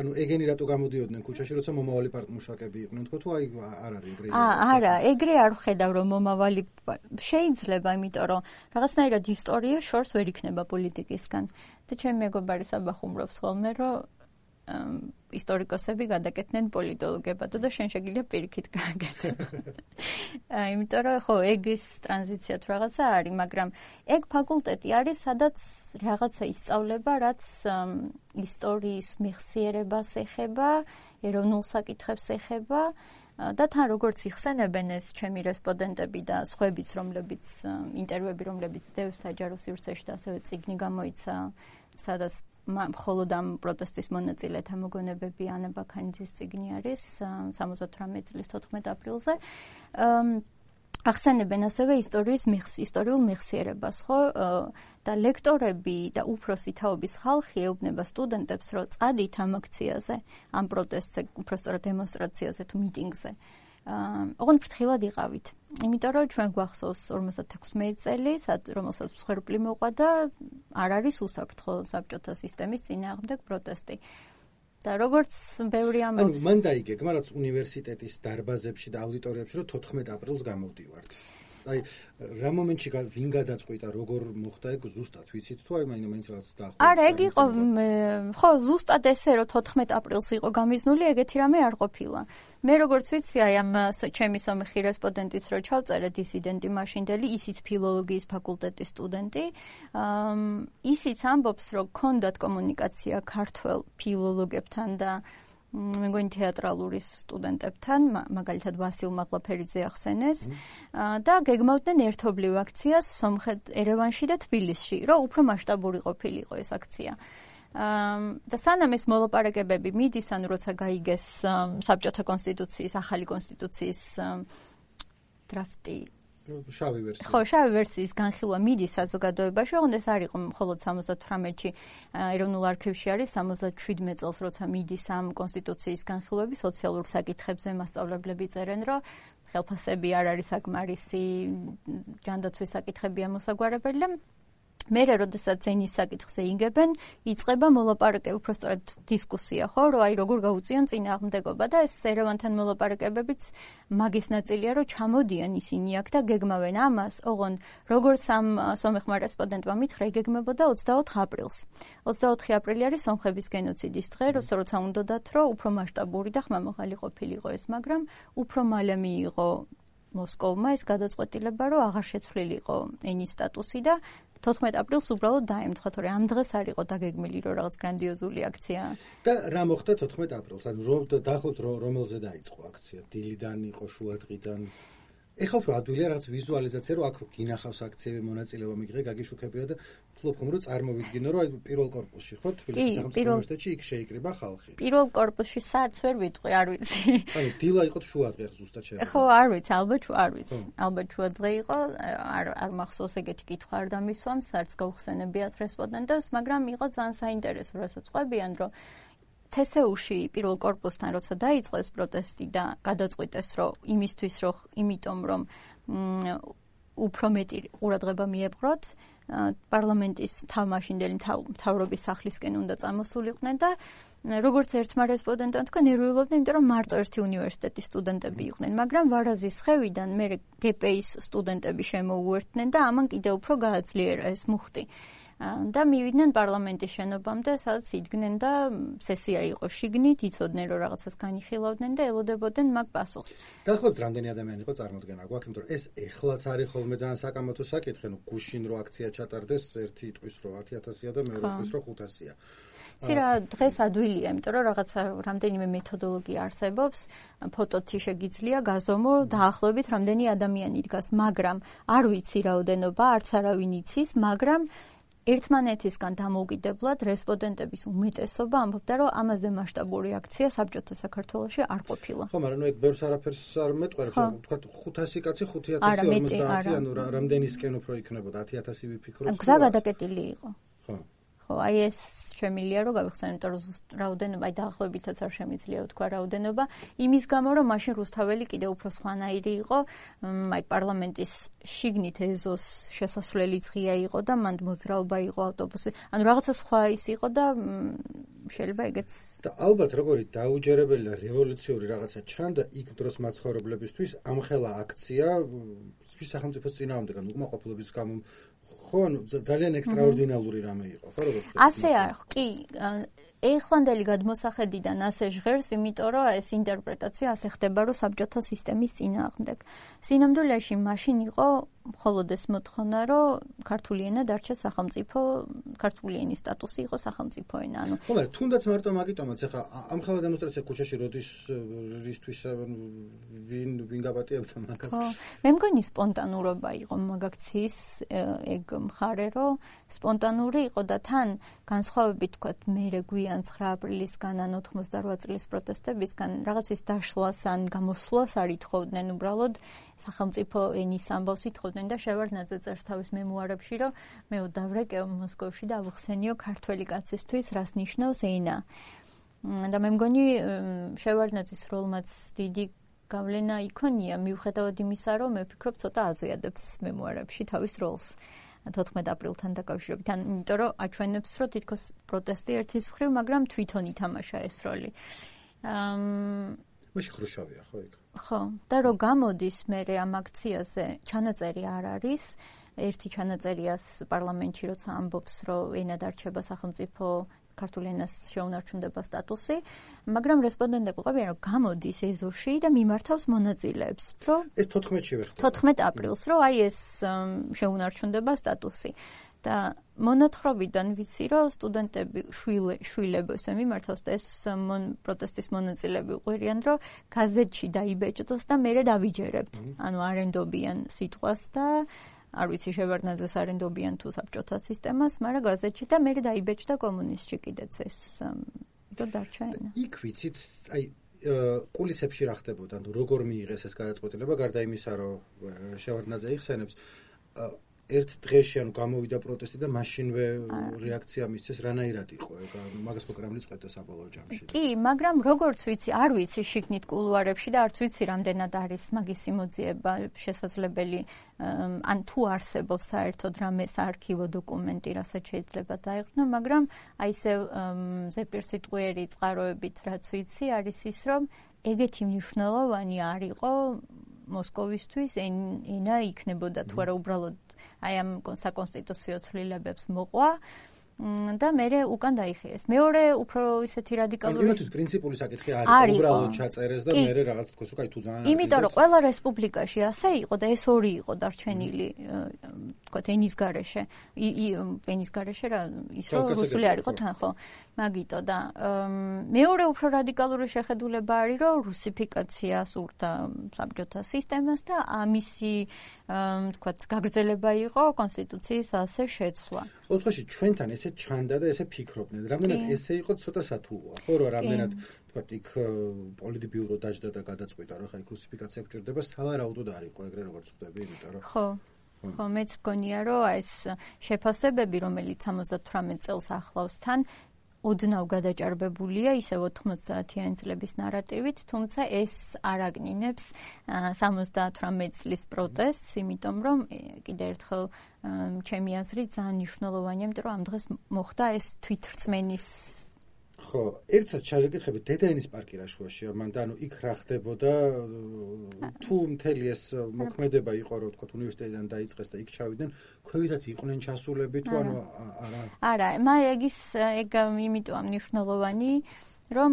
ანუ ეგენი რატო გამოდიოდნენ ქუჩაში, როცა მომავალი პარტმუშაკები იყვნენ, თქო თუ აი არ არის ეგრე. არა, ეგრე არ ვხედავ რომ მომავალი შეიძლება, იმიტომ რომ რაღაცნაირად ისტორია შორს ვერ იქნება პოლიტიკისგან. და ჩემი მეგობარი საბახუმრობს ხოლმე, რომ ისტორიკოსები გადაკეთდნენ პოლიტოლოგებად და შენ შეგიძლია პირიქით გააკეთო. იმიტომ რომ ხო, ეგის ტრანზიცია თუ რაღაცა არის, მაგრამ ეგ ფაკულტეტი არის, სადაც რაღაცა ისწავლება, რაც ისტორიის მეხსიერებას ეხება, ეროვნულ საკითხებს ეხება და თან როგორც იხსენებენ ეს ჩემი რესპონდენტები და სხვაებიც, რომლებიც ინტერვიუები, რომლებიც დევს საჯარო სივრცეში და ასევე წიგნი გამოიცა სადაც მხოლოდ ამ პროტესტის მონაწილეთა მოგონებები ანა ბაქანიძის წიგნი არის 78 წლის 14 აპრილზე. ახსენებენ ასევე ისტორიულ მეხსიერებას, ხო? და ლექტორები და უფროსი თაობის ხალხი ეუბნება სტუდენტებს, რომ წადით ამ აქციაზე, ამ პროტესტზე, უბრალოდ დემონსტრაციაზე თუ მიტინგზე. ოღონდ ფრთხილად იყავით. იმიტომ რომ ჩვენ გვახსოვს 56 წელი, რომელსაც მსხვერპლი მოყვა და არ არის უსაფრთხო საბჭოთა სისტემის წინააღმდეგ პროტესტი. და როგორც ბევრი ამბობს, მან დაიგეგმა რაც უნივერსიტეტის დარბაზებში და აუდიტორიებში რომ 14 აპრილს გამოვდივართ. აი რა მომენტში ვინ გადაწყვიტა როგორ მოხდა ეგ ზუსტად ვიცით თუ აი მაინც რაღაც დაახლოებით არა ეგ იყო ხო ზუსტად ესე რომ 14 აპრილს იყო გამიზნული ეგეთი რამე არ ყოფილა მე როგორც ვიცი აი ამ ჩემი სომეხი რესპონდენტის რო ჩავწერე დისიდენტი მაშინდელი ისიც ფილოლოგიის ფაკულტეტის სტუდენტი ისიც ამბობს რომ ქონდათ კომუნიკაცია ქართველ ფილოლოგებთან და მე მგონი თეატრალური სტუდენტებთან, მაგალითად ვასილ მაღლაფერიძე ახსენეს და გეგმავდნენ ერთობლივ აქციას სომხეთ ერევანში და თბილისში, რომ უფრო მასშტაბური ყოფილიყო ეს აქცია. და სანამ ეს მოლაპარაკებები მიდის, ანუ როცა გაიგეს საბჭოთა კონსტიტუციის, ახალი კონსტიტუციის დრაფტი შავი ვერსია. ხო, შავი ვერსიის განხილვა მიდის საზოგადოებაში, ოღონდ ეს არ იყო მხოლოდ 78-ში ეროვნულ არქივში არის 77 წელს, როცა მიდის ამ კონსტიტუციის განხილვები სოციალურ საკითხებზე მასწავლებლები წერენ, რომ ხელფასები არ არის საკმარისი, ჯანდაცვის საკითხები ამოსაგვარებელი და მერე როდესაც ზენის საკითხზე იგებენ, იწყება მოლაპარაკება, უბრალოდ დისკუსია, ხო, რომ აი როგორ გაუწიონ წინააღმდეგობა და ეს ერევანთან მოლაპარაკებებიც მაგის ნაწილია, რომ ჩამოდიან ისინი აქ და გეგმავენ ამას, ოღონდ როგორც ამ სომეხმა რესპონდენტმა მითხრა, იგეგმებოდა 24 აპრილს. 24 აპრილი არის სომხების გენოციდის დღე, როცა უნდათ, რომ უფრო მასშტაბური და ხმამაღალი ყოფილიყო ეს, მაგრამ უფრო მალე მიიღო მოსკოვმა ეს გადაწყვეტილება, რომ აღარ შეცვლილიყო ენის სტატუსი და 14 აპრილს უბრალოდ დაემთხვა, თორე ამ დღეს არ იყო დაგეგმილი, რომ რაღაც გრანდიოზული აქცია. და რა მოხდა 14 აპრილს? ანუ დაახლოებით რომელზე დაიწყო აქცია? დილიდან იყო, შუადღიდან? ეხლა უფრო ადვილია რაღაც ვიზუალიზაცია, რომ აქ რო გინახავს აქციები, მონაწილეობა მიიღე, გაგიშუქებია და ვთქვი რომ წარმოვიდგინო, რომ აი პირველ კორპუსში ხო თბილისის სახელმწიფო უნივერსიტეტში იქ შეიკრიბა ხალხი. პირველ კორპუსში საათს ვერ ვიტყვი, არ ვიცი. ანუ დილა იყო შუადღე ზუსტად შეიძლება. ხო, არ ვიცი, ალბათ შუადღე იყო, არ მახსოვს ეგეთი კითხვა არ დამისვამს, არც გავხსენებიათ რესპონდენტებს, მაგრამ იყო ძალიან საინტერესო, რასაც ყვებიან, რომ თესეუში პირველ კორპუსთან როცა დაიწყო ეს პროტესტი და გადაწყვიტეს რომ იმიტომ რომ უფრო მეტი ყურადღება მიეპყროთ პარლამენტის თავმაშინდელი მთავრობის სახლისკენ უნდა წამოსულიყვნენ და როგორც ერთმა რესპონდენტმა თქვა ნერვიულობდნენ იმიტომ რომ მარტო ერთი უნივერსიტეტის სტუდენტები იყვნენ მაგრამ ვარაზის ხევიდან მე გპ-ის სტუდენტები შემოუერთდნენ და ამან კიდევ უფრო გააძლიერა ეს მუხტი და მივიდნენ პარლამენტის შენობამდე, სადაც იდგნენ და სესია იყო შიგნით, იცოდნენ რომ რაღაცას განიხილავდნენ და ელოდებოდნენ მაგ პასუხს. დაახლოებით რამდენი ადამიანი იყო წარმოდგენა გვაქვს, იმიტომ რომ ეს ეხლაც არის ხოლმე ძალიან საკამათო საკითხი, ნუ გუშინ რო აქცია ჩატარდეს, ერთი იტყვის რომ 10,000-ია და მეორე იტყვის რომ 500-ია. ცირა დღეს ადვილია, იმიტომ რომ რაღაცა რამდენიმე მეთოდოლოგია არსებობს, ფოტოთი შეგიძლია გაზომო დაახლოებით რამდენი ადამიანი დგას, მაგრამ არ ვიცი რაოდენობა, არც არავინ იცის, მაგრამ ერთმანეთისგან დამოუკიდებლად რესპონდენტების უმეტესობა ამბობდა, რომ ამაზე მასშტაბური აქცია საბჭოთა საქართველოში არ ყოფილა. ხო, მაგრამ ეგ ბევრს არაფერს არ მეტყველებს, თქვა 500 კაცი 5,050, ანუ რამდენისკენ უფრო იქნებოდა 10,000 ვიფიქროთ. გზა გადაკეტილი იყო. ხო. ხო, აი ეს შემიძლია რომ გავიხსენოთ, რომ რაოდენობა დაახლოებითაც არ შემიძლია ვთქვა რაოდენობა, იმის გამო რომ მაშინ რუსთაველი კიდევ უფრო სხვანაირი იყო, აი პარლამენტის შიგნით ეზოს შესასვლელიც ღია იყო და მანდ მოძრაობა იყო ავტობუსი. ანუ რაღაცა სხვა ის იყო და შეიძლება ეგეც და ალბათ როგორი დაუჯერებელი და რევოლუციური რაღაცა ჩანდა იქ დროს მაცხოვრებლებისთვის ამხელა აქცია სახელმწიფოს წინააღმდეგ, ანუ უკმაყოფილების გამო ხო, ძალიან ექსტრაორდინალური რამე იყო, ხო, როგორც ასე არ, კი, ეხლანდელი გადმოსახედიდან ასე ჟღერს, იმიტომ რომ ეს ინტერპრეტაცია ასე ხდება, რომ საბჭოთა სისტემის წინააღმდეგ. სინამდვილეში მაშინ იყო მხოლოდ ეს მოთხოვნა, რომ ქართული ენა დარჩა სახელმწიფო, ქართული ენის სტატუსი იყო სახელმწიფო ენა. ანუ ხომ, თუნდაც მარტო მაგიტომაც ახლა ამ ხალხ დემონსტრაცია ქუჩაში როდის რისთვის ვინ გაპატიებდა მაგას? ხო, მე მგონი სპონტანურობა იყო მაგაქციის ეგ მხარე, რომ სპონტანური იყო და თან განსხვავებით თქვათ მერე გვიან 9 აპრილისგან ან 88 წლის პროტესტებისგან რაღაცის დაშლას ან გამოსვლას არ ითხოვდნენ, უბრალოდ სახელმწიფო ენის ამბავს ითხოვდნენ და შევარდნაძე წერს თავის მემუარებში, რომ მე დავრეკევ მოსკოვში და ავხსენიო ქართველი კაცისთვის, რას ნიშნავს ენა. და მე მგონი შევარდნაძის როლმაც დიდი გავლენა იქონია, მიუხედავად იმისა, რომ მე ვფიქრობ ცოტა აზვიადებს მემუარებში თავის როლს 14 აპრილთან დაკავშირებით. იმიტომ რომ აჩვენებს, რომ თითქოს პროტესტი ერთის მხრივ, მაგრამ თვითონ ითამაშა ეს როლი. მაშინ ხრუშოვია, ხო იქ? ხო, და რომ გამოდის მე ამ აქციაზე ჩანაწერი არ არის. ერთი ჩანაწერიას პარლამენტში როცა ამბობს, რომ ენა დარჩება სახელმწიფო ქართულ ენას შეუნარჩუნდება სტატუსი, მაგრამ რესპონდენტები ყვებიან, რომ გამოდის ეზოში და მიმართავს მონაწილეებს, რომ ეს 14-ში ვეხება. 14 აპრილს, რომ აი ეს შეუნარჩუნდება სტატუსი. და მონათხრობიდან ვიცი, რომ სტუდენტები შვილებს მიმართავს და ეს პროტესტის მონაწილეები უყვირიან, რომ გაზეთში დაიბეჭდოს და მერე დავიჯერებთ. ანუ არენდობიან სიტყვას და არ ვიცი შევარდნაძეს არენდობიან თუ საბჭოთა სისტემას, მაგრამ გაზეთში და მერე დაიბეჭდა კომუნისტში კიდეც ეს რომ დარჩა ენა. იქ ვიცით, აი კულისებში რა ხდებოდა, ანუ როგორ მიიღეს ეს გადაწყვეტილება, გარდა იმისა, რომ შევარდნაძე იხსენებს, ერთ დღეში ანუ გამოვიდა პროტესტი და მაშინვე რეაქცია მისცეს, რანაირად იყო ეგ მაგას პროგრამის წვეთა საბოლოო ჯამში. კი, მაგრამ როგორც ვიცი, არ ვიცი შიგნით კულუარებში და არც ვიცი რამდენად არის მაგის სიმოძიება შესაძლებელი, ან თუ არსებობს საერთოდ რამე საარქივო დოკუმენტი, რასაც შეიძლება დაეღვნო, მაგრამ აი ესე ზეპირსიტყვიერი წყაროებით რაც ვიცი, არის ის, რომ ეგეთი მნიშვნელოვანი არ იყო მოსკოვისთვის ენა იქნებოდა თუ არა უბრალოდ აი ამ საკონსტიტუციო ცვლილებებს მოყვა და მერე უკან დაიხიეს. მეორე უფრო ისეთი რადიკალური იმათთვის პრინციპული საკითხი არის, უბრალოდ ჩაწერეს და მერე რაღაც თქოს, რომ აი თუ ძალიან იმიტომ რომ ყველა რესპუბლიკაში ასე იყო და ეს ორი იყო დარჩენილი, თქვათ ენის გარეშე, ენის გარეშე რა ის რომ რუსული არ იყო თან ხო, მაგიტო და მეორე უფრო რადიკალური შეხედულება არის, რომ რუსიფიკაცია სურდა საბჭოთა სისტემას და ამისი თქვათ გაგრძელება იყო კონსტიტუციის ასე შეცვლა. ოთხში ჩვენთან ესე ჩანდა და ესე ფიქრობდნენ. რამდენად ესე იყო ცოტა სათუოა, ხო რომ რამდენად თქვათ იქ პოლიტბიურო დაждდა და გადაწყვიტა, რომ ხა იქ რუსიფიკაცია გჭირდება, სავარაუდოდ არ იყო ეგრე როგორც ხდები, იმიტომ რომ ხო, მეც მგონია, რომ ეს შეფასებები, რომელიც 78 წელს ახლავს თან ოდნავ გადაჭარბებულია ისევ 90-იანი წლების ნარატივით, თუმცა ეს არ აგნინებს 78 წლის პროტესტს, იმიტომ რომ კიდევ ერთხელ ჩემი აზრით ძალიან მნიშვნელოვანია, იმიტომ რომ ამ დღეს მოხდა ეს თვითრწმენის ხო, ერთსაც შეგეკითხებით დედაენის პარკი რა შუაშია, მან და ანუ იქ რა ხდებოდა, თუ მთელი ეს მოქმედება იყო, რომ თქვა უნივერსიტეტიდან დაიწყეს და იქ ჩავიდნენ, ქვევითაც იყვნენ ჩასულები თუ ანუ არა? არა, ეგ იმიტომ მნიშვნელოვანი, რომ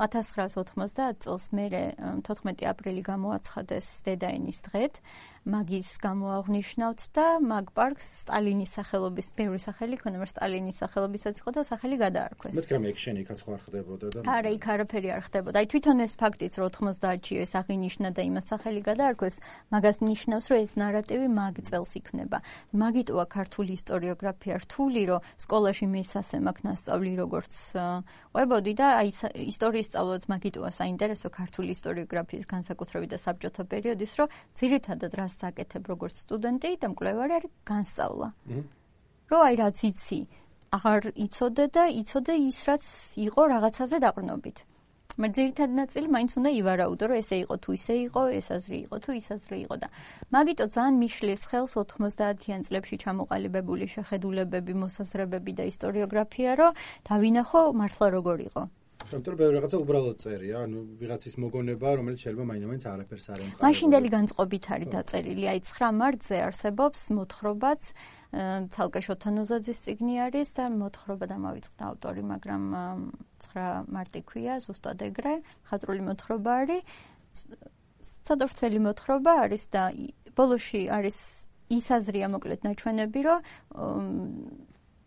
1990 წელს მერე 14 აპრილი გამოაცხადეს დედაენის დღედ, მაგის გამოაღვნიშნავთ და მაგ პარკს სტალინის სახელობის ბევრი სახელი ქონდა, მაგრამ სტალინის სახელობისაც იყო და სახელი გადაარქვეს. მეთქი რამე ექშენი იქაც ხო არ ხდებოდა და არა, იქ არაფერი არ ხდებოდა. აი თვითონ ეს ფაქტიც რომ 90-ში ეს აღინიშნა და იმათ სახელი გადაარქვეს, მაგას ნიშნავს, რომ ეს ნარატივი მაგ წელს იქნება. მაგიტოა ქართული ისტორიოგრაფია რთული, რომ სკოლაში მე სასე მაქვს ნასწავლი როგორც ყვებოდი და აი ისტორიის სწავლაც მაგიტოა საინტერესო ქართული ისტორიოგრაფიის განსაკუთრებით და საბჭოთა პერიოდის, რომ ძირითადად რას საკეთებ როგორც სტუდენტი და მკვლევარი არის განსწავლა. რომ აი რაც იცი, აღარ იცოდე და იცოდე ის რაც იყო რაღაცაზე დაყრდნობით. მაგრამ ძირითადი ნაწილი მაინც უნდა ივარაუდო, რომ ესე იყო თუ ისე იყო, ეს აზრი იყო თუ ის აზრი იყო და მაგიტო ძალიან მიშლის ხელს 90-იან წლებში ჩამოყალიბებული შეხედულებები, მოსაზრებები და ისტორიოგრაფია, რომ დავინახო მართლა როგორ იყო. იმიტომ რომ ბევრი რაღაცა უბრალოდ წერია, ანუ ვიღაცის მოგონება, რომელიც შეიძლება მაინც არაფერს არ ემყარება. მაშინდელი განწყობით არის დაწერილი, აი 9 მარტზე არსებობს მოთხრობაც, ცალკე შოთანოზაძის წიგნი არის და მოთხრობა დამავიწყდა ავტორი, მაგრამ 9 მარტი ქვია, ზუსტად ეგრე, ხატრული მოთხრობა არის. ცოტა ვრცელი მოთხრობა არის და ბოლოში არის ის აზრია მოკლედ ნაჩვენები, რომ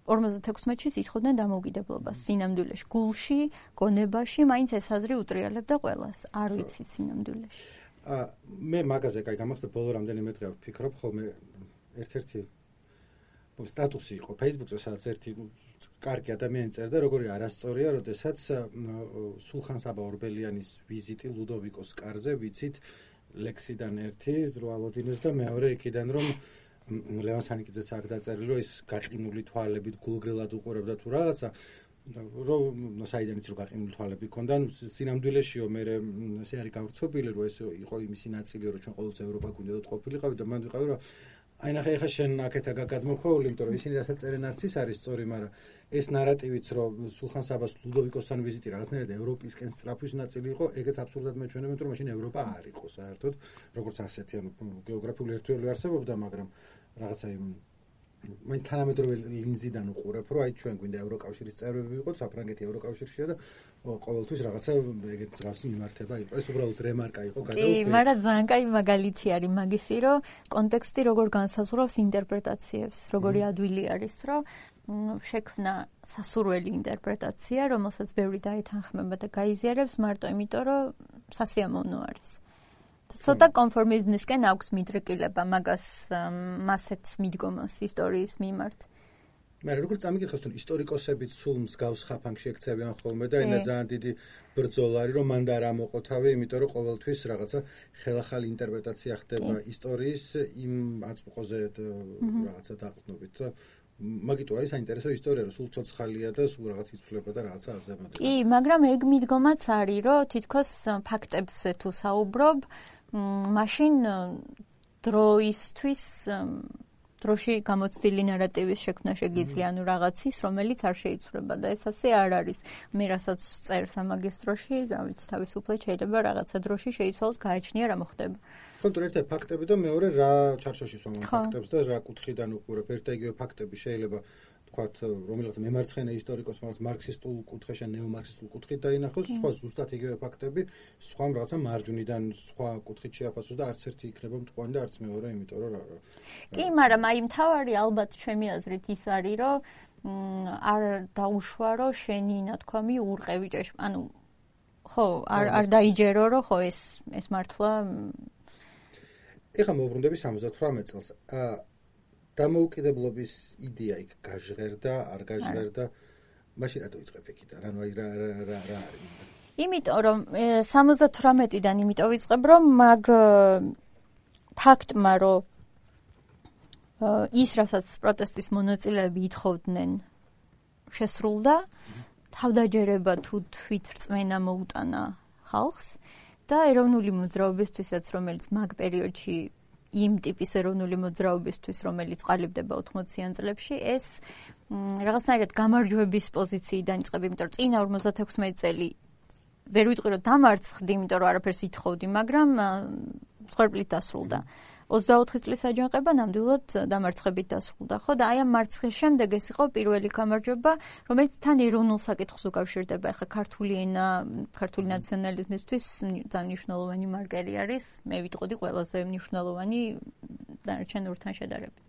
56-ში იცხოვდნენ დამოუკიდებლობას სინამდვილეში, გულში, გონებაში, მაინც ეს აზრი უტრიალებდა ყველას, არ ვიცი სინამდვილეში. მე მაგაზე კაი გამახსენე ბოლო რამდენიმე დღე ვფიქრობ, ხოლმე ერთ-ერთი სტატუსი იყო Facebook-ზე, სადაც ერთი კარგი ადამიანი წერდა, როგორი არასწორია, როდესაც სულხან-საბა ორბელიანის ვიზიტი ლუდოვიკოს კარზე, ვიცით, ლექსიდან ერთი ზრუალოდინეს და მეორე იქიდან რომ ლევან სანიკიძეც აქ დაწერილი, რომ ის გაყინული თვალებით გულგრილად უყურებდა თუ რაღაცა, რომ საიდანაც რო გაყინული თვალები ქონდა, სინამდვილეშიო მე ესე არის გავრცობილი, რომ ეს იყო იმისი ნაწილი, რომ ჩვენ ყოველთვის ევროპა გვინდოდათ ყოფილიყავით და მან ვიყავი, რომ აი ნახე ახლა შენ აქეთ გადმოხვეული, იმიტომ რომ ისინი რასაც წერენ არც ის არის სწორი, მაგრამ ეს ნარატივიც რომ სულხან-საბას ლუდოვიკოსთან ვიზიტი რაღაცნაირად ევროპისკენ სწრაფვის ნაწილი იყო, ეგეც აბსურდად მეჩვენებენ, რომ მაშინ ევროპა არ იყო საერთოდ, როგორც ასეთი, ანუ გეოგრაფიული ერთველი არსებობდა, მაგრამ რაღაცა მაინც თანამედროვე ლინზიდან უყურებ, რომ აი ჩვენ გვინდა ევროკავშირის წევრები ვიყოთ, საფრანგეთი ევროკავშირშია და ყოველთვის რაღაცა ეგეთ რაღაცა მიმართება იყო. ეს უბრალოდ რემარკა იყო კი, გადაუხვი. მაგრამ ძალიან კაი მაგალითი არის მაგისი, რომ კონტექსტი როგორ განსაზღვრავს ინტერპრეტაციებს, როგორი ადვილი არის, რომ შექმნა სასურველი ინტერპრეტაცია, რომელსაც ბევრი დაეთანხმება და გაიზიარებს მარტო იმიტომ, რომ სასიამოვნო არის. ცოტა კონფორმიზმისკენ აქვს მიდრეკილება მაგას მასეთ მიდგომას ისტორიის მიმართ. მაგრამ როგორც წამიგიხოს თუნ ისტორიკოსებიც სულ მსგავს ხაფანგში ექცევიან ხოლმე და ენა ძალიან დიდი ბრძოლა არის რომ მან და რა მოყო თავი, იმიტომ რომ ყოველთვის რაღაცა ხელახალი ინტერპრეტაცია ხდება ისტორიის იმ აწმყოზე რაღაცა დაყრდნობით და მაგიტო არის საინტერესო ისტორია, რომ სულ ცოცხალია და სულ რაღაც იცვლება და რაღაცა აზრდება. კი, მაგრამ ეგ მიდგომაც არის, რომ თითქოს ფაქტებზე თუ საუბრობ, მაშინ დროისთვის დროში გამოცდილი ნარატივის შექმნა შეგიძლია, ანუ რაღაცის, რომელიც არ შეიცვლება და ეს ასე არ არის. მე რასაც წერ სამაგისტროში, რა ვიცი, თავისუფლად შეიძლება რაღაცა დროში შეიცვალოს, გააჩნია რა მოხდება. კონტრ ერთი ფაქტები და მეორე რა ჩარჩოში სვამენ ფაქტებს და რა კუთხიდან უყურებ. ერთ და იგივე ფაქტები შეიძლება თქვათ, რომელიღაც მემარცხენე ისტორიკოს, მაგრამ მარქსისტულ კუთხეში, ნეომარქსისტულ კუთხით დაინახოს, სხვა ზუსტად იგივე ფაქტები, სხვა რაღაცა მარჯვნიდან, სხვა კუთხით შეაფასოს და არც ერთი იქნება მტყვანი და არც მეორე, იმიტომ რომ კი, მაგრამ აი მთავარი ალბათ ჩემი აზრით ის არის, რომ არ დაუშვა, რომ შენი ნათქვამი ურყევი ჭეშმარიტი, ანუ ხო, არ დაიჯერო, რომ ხო ეს მართლა ეხლა მოვბრუნდები 78 წელს. დამოუკიდებლობის იდეა იქ გაჟღერდა, არ გაჟღერდა. მაშინ რატო იწყებ იქიდან? ანუ აი რა არის? იმიტომ რომ 78-დან იმიტომ ვიწყებ, რომ მაგ ფაქტმა, რომ ის რასაც პროტესტის მონაწილეები ითხოვდნენ, შესრულდა, თავდაჯერება თუ თვითრწმენა მოუტანა ხალხს და ეროვნული მოძრაობისთვისაც, რომელიც მაგ პერიოდში იმ ტიპის ეროვნული მოძრაობისთვის, რომელიც ყალიბდება 80-იან წლებში, ეს რაღაცნაირად გამარჯვების პოზიციიდან იწყება, იმიტომ რომ წინა 56 წელი ვერ ვიტყვი რომ დამარცხდი, იმიტომ რომ არაფერს ითხოვდი, მაგრამ მსხვერპლით დასრულდა. 24 წლის აჯანყება ნამდვილად დამარცხებით დასრულდა, ხო? და აი ამ მარცხის შემდეგ ეს იყო პირველი გამარჯვება, რომელიც თან ეროვნულ საკითხს უკავშირდება. ახლა ქართული ენა, ქართული ნაციონალიზმისთვის ძალიან მნიშვნელოვანი მარკერი არის, მე ვიტყოდი ყველაზე მნიშვნელოვანი დანარჩენურთან შედარებით.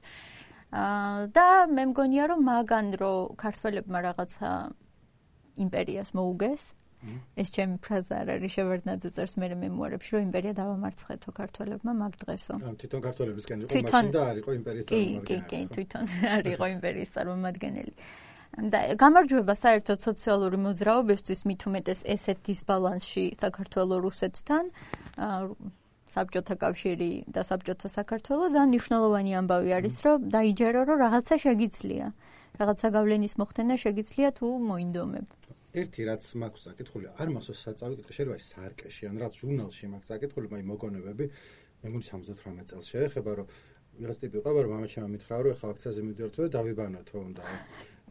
და მე მგონია რომ მაგან რომ ქართველებმა რაღაცა იმპერიას მოუგეს, ეს ჩემი ფრაზა არ არის, შევარდნაძე წერს მე მემუარებში, რომ იმპერია დავამარცხეთო ქართველებმა მაგ დღესო. თვითონ ქართველებისგან იყო მაშინ და არ იყო იმპერიის კი, წარმომადგენელი. კი, თვითონ არ იყო იმპერიის წარმომადგენელი. და გამარჯვება საერთოდ სოციალური მოძრაობისთვის მით უმეტეს ესეთ დისბალანსში საქართველო-რუსეთთან, საბჭოთა კავშირი და საბჭოთა საქართველო და მნიშვნელოვანი ამბავი არის, რომ დაიჯერო, რომ რაღაცა შეგიძლია. რაღაცა გავლენის მოხდენა შეგიძლია თუ მოინდომებ. ერთი რაც მაქვს საკითხული, არ მახსოვს საწავი კითხვა, შეიძლება ის სარკეში, ან რაც ჟურნალში მაქვს საკითხული, მაი მოგონებები, მე მგონი 78 წელს შეეხება, რომ ვიღაც ტიპი ყავარ, მამაჩემმა მითხრა, რომ ეხლა აქციაზე მივიდიართო და დავიბანოთო უნდა.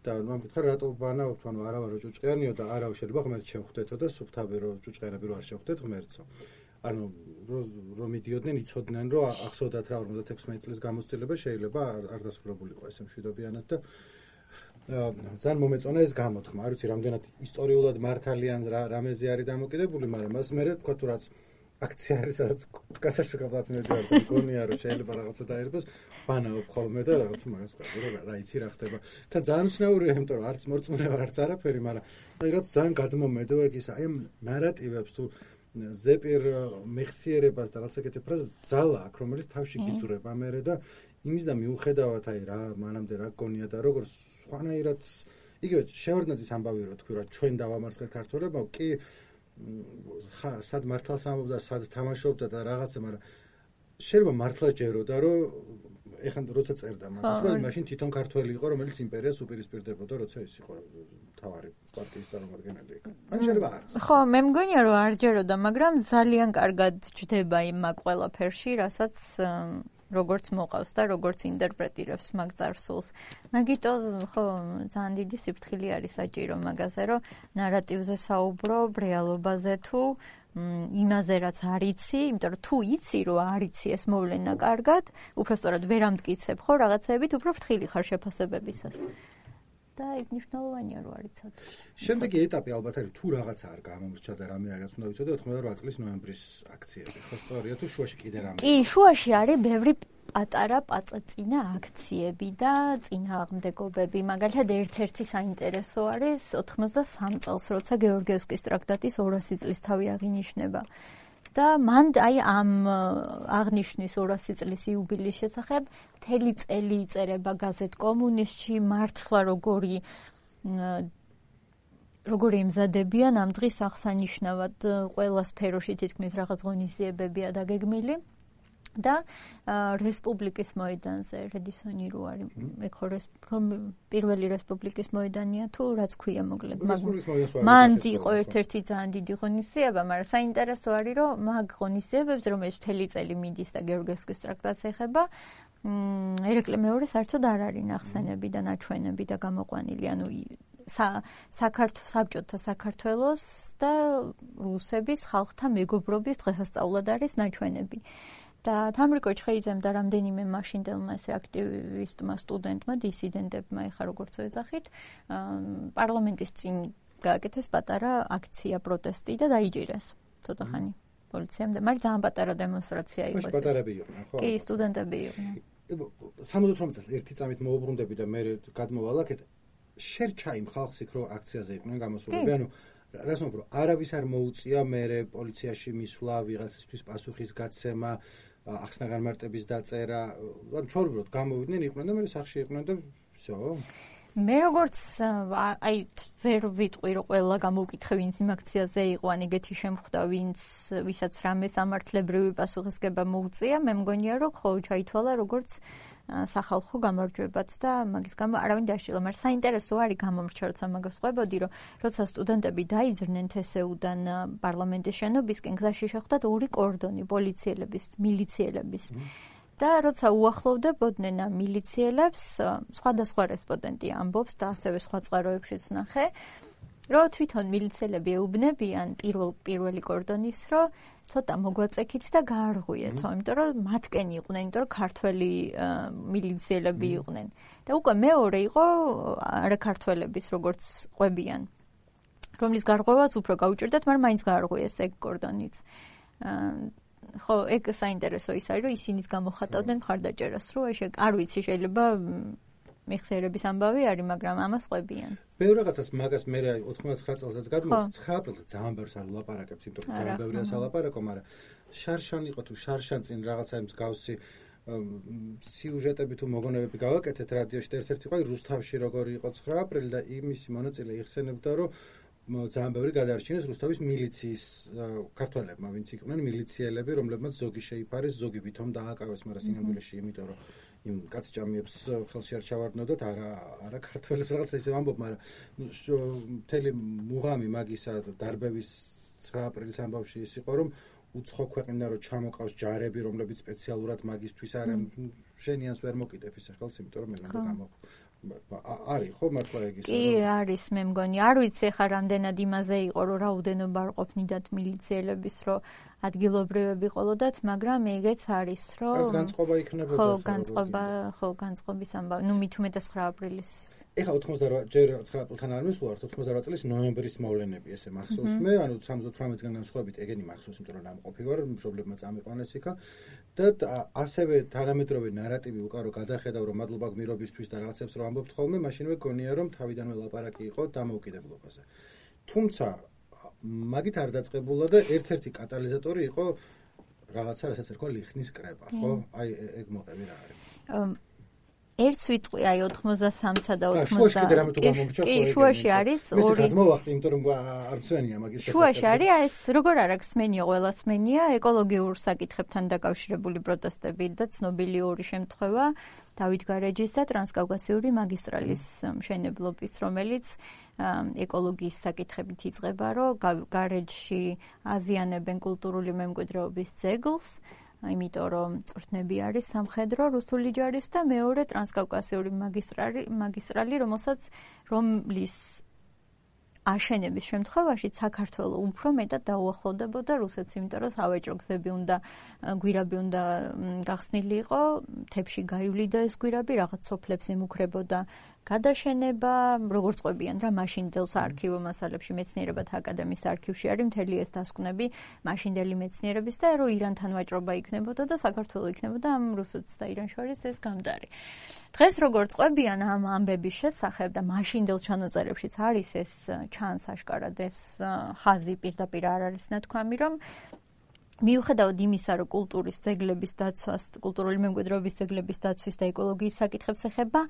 და მან მითხრა რატო ბანაობთ, ანუ არა ვარო ჭუჭყიანიო და არა შეიძლება ღმერთ შევხვდეთო და სუფთაბე რო ჭუჭყიანები რო არ შევხვდეთ ღმერთო. ანუ რომ მიდიოდნენ იცოდნენ რომ ახსოვდათ რა 56 წლის გამოცდილება შეიძლება არ დასრულებულიყო ესე მშვიდობიანად და ძალიან მომეწონა ეს გამოთქმა. არ ვიცი რამდენად ისტორიულად მართალიან რამეზე არის დამოკიდებული, მაგრამ მას მე თქვა თუ რაც აქცია არის სადაც გასაშუქებლად მეძვარ და გონია რომ შეიძლება რაღაცა დაერბოს ბანაობ ხოლმე და რაღაცა მაგას ვყავ რომ რა იცი რა ხდება და ძალიან უცნაურია იმიტომ რომ არც მორწმუნება არც არაფერი მაგრამ რაღაც ძალიან გადმომედო ეგ ის აი ამ ნარატივებს თუ ზეპირ მეხსიერებას და რაღაცა კეთებ ფრაზას ძალა აქვს რომელიც თავში გიწურება მერე და იმის და მიუხედავად აი რა მანამდე რა გონია და როგორ სხვანაირად იგივე შევარდნაძის ამბავი რო თქვი რა ჩვენ დავამარცხეთ ქართველებმა კი სად მართლს ამბობდა, სად თამაშობდა და რაღაცა, მაგრამ შეიძლება მართლა ჯეროდა, რომ ეხლა როცა წერდა მაგას, რომ მაშინ თვითონ ქართველი იყო, რომელიც იმპერიას უპირისპირდებოდა, როცა ის იყო თავარი პარტიის წარმომადგენელი იქ. ან შეიძლება არც. ხო, მე მგონია, რომ არ ჯეროდა, მაგრამ ძალიან კარგად ჯდება იმ ყველაფერში, რასაც როგორც მოყავს და როგორც ინტერპრეტირებს მაგ წარსულს. მაგიტო ხო ძალიან დიდი სიფრთხილე არის საჭირო მაგაზე, რომ ნარატივზე საუბრობ, რეალობაზე თუ იმაზე რაც არ იცი, იმიტომ რომ თუ იცი რომ არ იცი ეს მოვლენა კარგად, უბრალოდ ვერ ამტკიცებ ხო რაღაცეებით, უფრო ფრთხილი ხარ შეფასებებისას. და იქ მნიშვნელოვანია რომ არ იცოდე. შემდეგი ეტაპი ალბათ არის თუ რაღაცა არ გამომრჩა და რამე არის უნდა ვიცოდე 98 წლის ნოემბრის აქციები. ხო სწორია თუ შუაში კიდე რამე. კი, შუაში არის ბევრი პატარა პაწაწინა აქციები და წინააღმდეგობები. მაგალითად ერთ-ერთი საინტერესო არის 83 წელს, როცა გეორგიევსკის ტრაქტატის 200 წლის თავი აღინიშნება. და მან აი ამ აღნიშნის 200 წლის იუბილეის შესახებ მთელი წელი იწერება გაზეთ კომუნისტში, მართლა როგორი ემზადებიან ამ დღის აღსანიშნავად ყველა სფეროში თითქმის რაღაც ღონისძიებებია დაგეგმილი. და რესპუბლიკის მოედანზე რედისონი რო არის ეგ ხო პირველი რესპუბლიკის მოედანია თუ რაც ქვია მოკლედ მან იყო ერთ-ერთი ძალიან დიდი ღონისძიება მაგრამ საინტერესო არის რომ მაგ ღონისძიებებს რომელიც მთელი წელი მიდის და გეორგიევსკის ტრაქტატს ეხება ერეკლე მეორე საერთოდ არ არის ნახსენები და ნაჩვენები და გამოყვანილი ანუ საბჭოთა საქართველოს და რუსების ხალხთა მეგობრობის დღესასწაულად არის ნაჩვენები და თამრიკო ჩხეიძემ და რამდენიმე მაშინდელმა ესე აქტივისტმა, სტუდენტმა, დისიდენტებმა, ეხა როგორც ეძახით, პარლამენტის წინ გააკეთეს პატარა აქცია, პროტესტი და დაიჭირეს ცოტა ხანი პოლიციამ და მაგრამ ძალიან პატარა დემონსტრაცია იყო. პატარები იყვნენ, ხო? კი, სტუდენტები იყვნენ. 78 წელს ერთი წამით მოუბრუნდები და მე გადმოვალაკეთ. შერჩა იმ ხალხს იქ რო აქციაზე იყვნენ გამოსულები, ანუ რას მომბრო, არავის არ მოუწია მერე პოლიციაში მისვლა, ვიღაცისთვის პასუხის გაცემა, ახსნა განმარტების დაწერა, ან ჩვეულებრივად გამოვიდნენ, იყვნენ და მე სახში იყვნენ და всё. მე როგორც აი ვერ ვიტყვი რომ ყველა გამოვკითხე ვინც იმ აქციაზე იყო, ან ეგეთი შემხვდა ვისაც რამე სამართლებრივი პასუხისგება მოუწია, მე მგონია რომ ხო ჩაითვალა როგორც სახალხო გამარჯვებაც და მაგის გამო არავინ დაშილა, მაგრამ საინტერესო არის გამომრჩა, როცა მაგას ყვებოდი, რომ როცა სტუდენტები დაიძრნენ თსუ-დან პარლამენტის შენობისკენ, გზაში შეხვდათ ორი კორდონი პოლიციელების, მილიციელების. და როცა უახლოვდებოდნენ ამ მილიციელებს, სხვადასხვა რესპონდენტი ამბობს და ასევე სხვა წყაროებშიც ვნახე, რომ თვითონ მილიციელები ეუბნებიან პირველი კორდონის, რომ ცოტა მოგვაწექით და გაარღვიეთო, იმიტომ რომ მათკენ იყვნენ, იმიტომ რომ ქართველი მილიციელები იყვნენ. და უკვე მეორე იყო არაქართველების, როგორც ყვებიან, რომლის გარღვევაც უფრო გაუჭირდათ, მაგრამ მაინც გაარღვიეს ეგ კორდონიც. ხო, ეგ საინტერესო ის არის, რომ ისინიც გამოხატავდნენ მხარდაჭერას, რომ არ ვიცი, შეიძლება მეხსიერების ამბავი არის, მაგრამ ამას ყვებიან. ბევრ რაღაცას მაგას მე 99 წელსაც გადმოვიდა, 9 აპრილზე ძალიან ბევრს არ ვლაპარაკებთ, იმიტომ რომ ძალიან ბევრია სალაპარაკო, მაგრამ შარშან იყო თუ შარშან წინ რაღაცა მსგავსი სიუჟეტები თუ მოგონებები გავაკეთეთ რადიოში და ერთ-ერთი იყო რუსთავში როგორი იყო 9 აპრილი და იმისი მონაწილე იხსენებდა, რომ ძალიან ბევრი გადაარჩინეს რუსთავის მილიციის ქართველებმა, ვინც იყვნენ მილიციელები, რომლებმაც ზოგი შეიფარეს, ზოგი ვითომ დააკავეს, მაგრამ სინამდვილეში იმიტომ რომ იმ კაცჭამიებს ხელში არ ჩავარდნოდათ, არა ქართველებს რაღაცა ისე ვამბობ, მაგრამ მთელი მუღამი მაგისა დარბევის 9 აპრილის ამბავში ის იყო, რომ უცხო ქვეყნიდან რომ ჩამოყავს ჯარები, რომლებიც სპეციალურად მაგისთვის არიან, შენიანს ვერ მოკიდებ ისე ხელს, იმიტომ რომ მე უნდა არის ხო მართლა ეგ ისე? კი, არის, მე მგონი. არ ვიცი ხა რამდენად იმაზე იყო, რომ რაოდენობა არ ყოფნიდათ მილიციელების, რომ ადგილობრივები ყოლოდათ, მაგრამ ეგეც არის, რომ განწყობა იქნებოდა. ხო, განწყობის ამბავი. ნუ მით უმეტეს 9 აპრილის. ეხლა 88 ჯერ 9 აპრილთან არ მისვლართ, 88 წლის ნოემბრის მოვლენები ესე მახსოვს მე, ანუ 78-დან განსხვავებით ეგენი მახსოვს, იმიტომ რომ ნამყოფი ვარ, მშობლებმა წამიყვანეს იქა და ასევე თანამედროვე ნარატივი უკან რომ გადახედავ რომ მადლობა გმირობისთვის და რაღაცებს რომ ამბობთ ხოლმე, მაშინვე გონია რომ თავიდანვე ლაპარაკი იყო დამოუკიდებლობაზე. თუმცა მაგით არ დაწყებულა და ერთ-ერთი კატალიზატორი იყო რაღაცა, რასაც ერქვა ლიხნის კრება, ხო? აი ეგ მოყევი რა არის. ერთ სვიტყვი აი 83-სა და 80. კი, შუაში არის ორი. მე გადმოვახტი, იმიტომ რომ არ მცვენია მაგის შესახებ. შუაში არის ეს როგორ არ აქვს სმენია, ყველას სმენია, ეკოლოგიურ საკითხებთან დაკავშირებული პროტესტები და ცნობილი ორი შემთხვევა დავით გარეჯის და ტრანსკავკასიური მაგისტრალის მშენებლობის, რომელიც ეკოლოგიის საკითხებით იწყება, რომ გარეჯში აზიანებენ კულტურული მემკვიდრეობის ძეგლს, იმიტომ რომ წვრთნები არის სამხედრო რუსული ჯარის და მეორე ტრანსკავკასიური მაგისტრალი, რომლის აშენების შემთხვევაში საქართველო უფრო მეტად დაუახლოვდებოდა რუსეთს, იმიტომ რომ სავაჭრო გზები უნდა გვირაბი უნდა გახსნილი იყო, მთებში გაივლიდა ეს გვირაბი, რაღაც სოფლებს ემუქრებოდა გადაშენება, როგორც ყვებიან რა მაშინდელ საარქივო მასალებში მეცნიერებათა აკადემიის არქივში არის მთელი ეს დასკვნები მაშინდელი მეცნიერების და რომ ირანთან ვაჭრობა იქნებოდა და საქართველო იქნებოდა ამ რუსეთს და ირანს შორის ეს გამდარი. დღეს როგორც ყვებიან ამ ამბების შესახებ და მაშინდელ ჩანაწერებშიც არის ეს ჩანს აშკარად ეს ხაზი პირდაპირ არ არის ნათქვამი, რომ მიუხედავად იმისა, რომ კულტურის ძეგლების დაცვას, კულტურული მემკვიდრეობის ძეგლების დაცვის და ეკოლოგიის საკითხებს ეხება,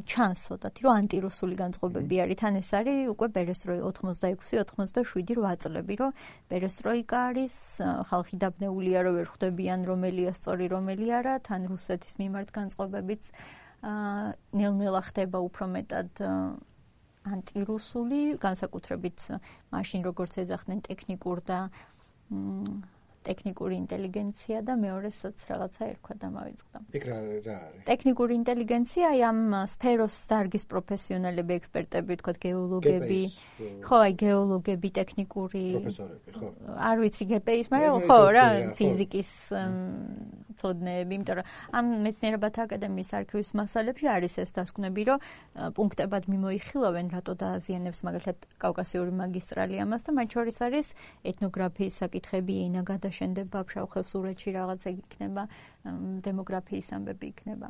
ჩანს ცოტათი, რომ ანტირუსული განწყობები არის. თან ეს არის უკვე პერესტროიკა 86-87 წლები, რომ პერესტროიკა არის, ხალხი დაბნეულია, რომ ვერ ხვდებიან რომელია სწორი, რომელი არა, თან რუსეთის მიმართ განწყობებიც ნელ-ნელა ხდება უფრო მეტად ანტირუსული, განსაკუთრებით მაშინ როგორც ეძახდნენ ტექნიკურ და ტექნიკური ინტელიგენცია და მეორესაც რაღაცა ერქვა და მავიწყდა. იქ რა არის? ტექნიკური ინტელიგენცია აი ამ სფეროს დარგის პროფესიონალები, ექსპერტები, თქვათ გეოლოგები, ხო, აი გეოლოგები, ტექნიკური პროფესორები, ხო. არ ვიცი გპის, მაგრამ ხო რა, ფიზიკის თოდნეები, იმიტომ რომ ამ მეცნიერებათა აკადემიის არქივის მასალებში არის ეს დასკვნები, რომ პუნქტებად მიმოიხილავენ, რატო დააზიანებს მაგალითად კავკასიური მაგისტრალი ამას და მათ შორის არის ეთნოგრაფიის საკითხები, ენა გადაშენდება, ფშავ-ხევსურეთში რაღაცა იქნება, დემოგრაფიის ამბები იქნება.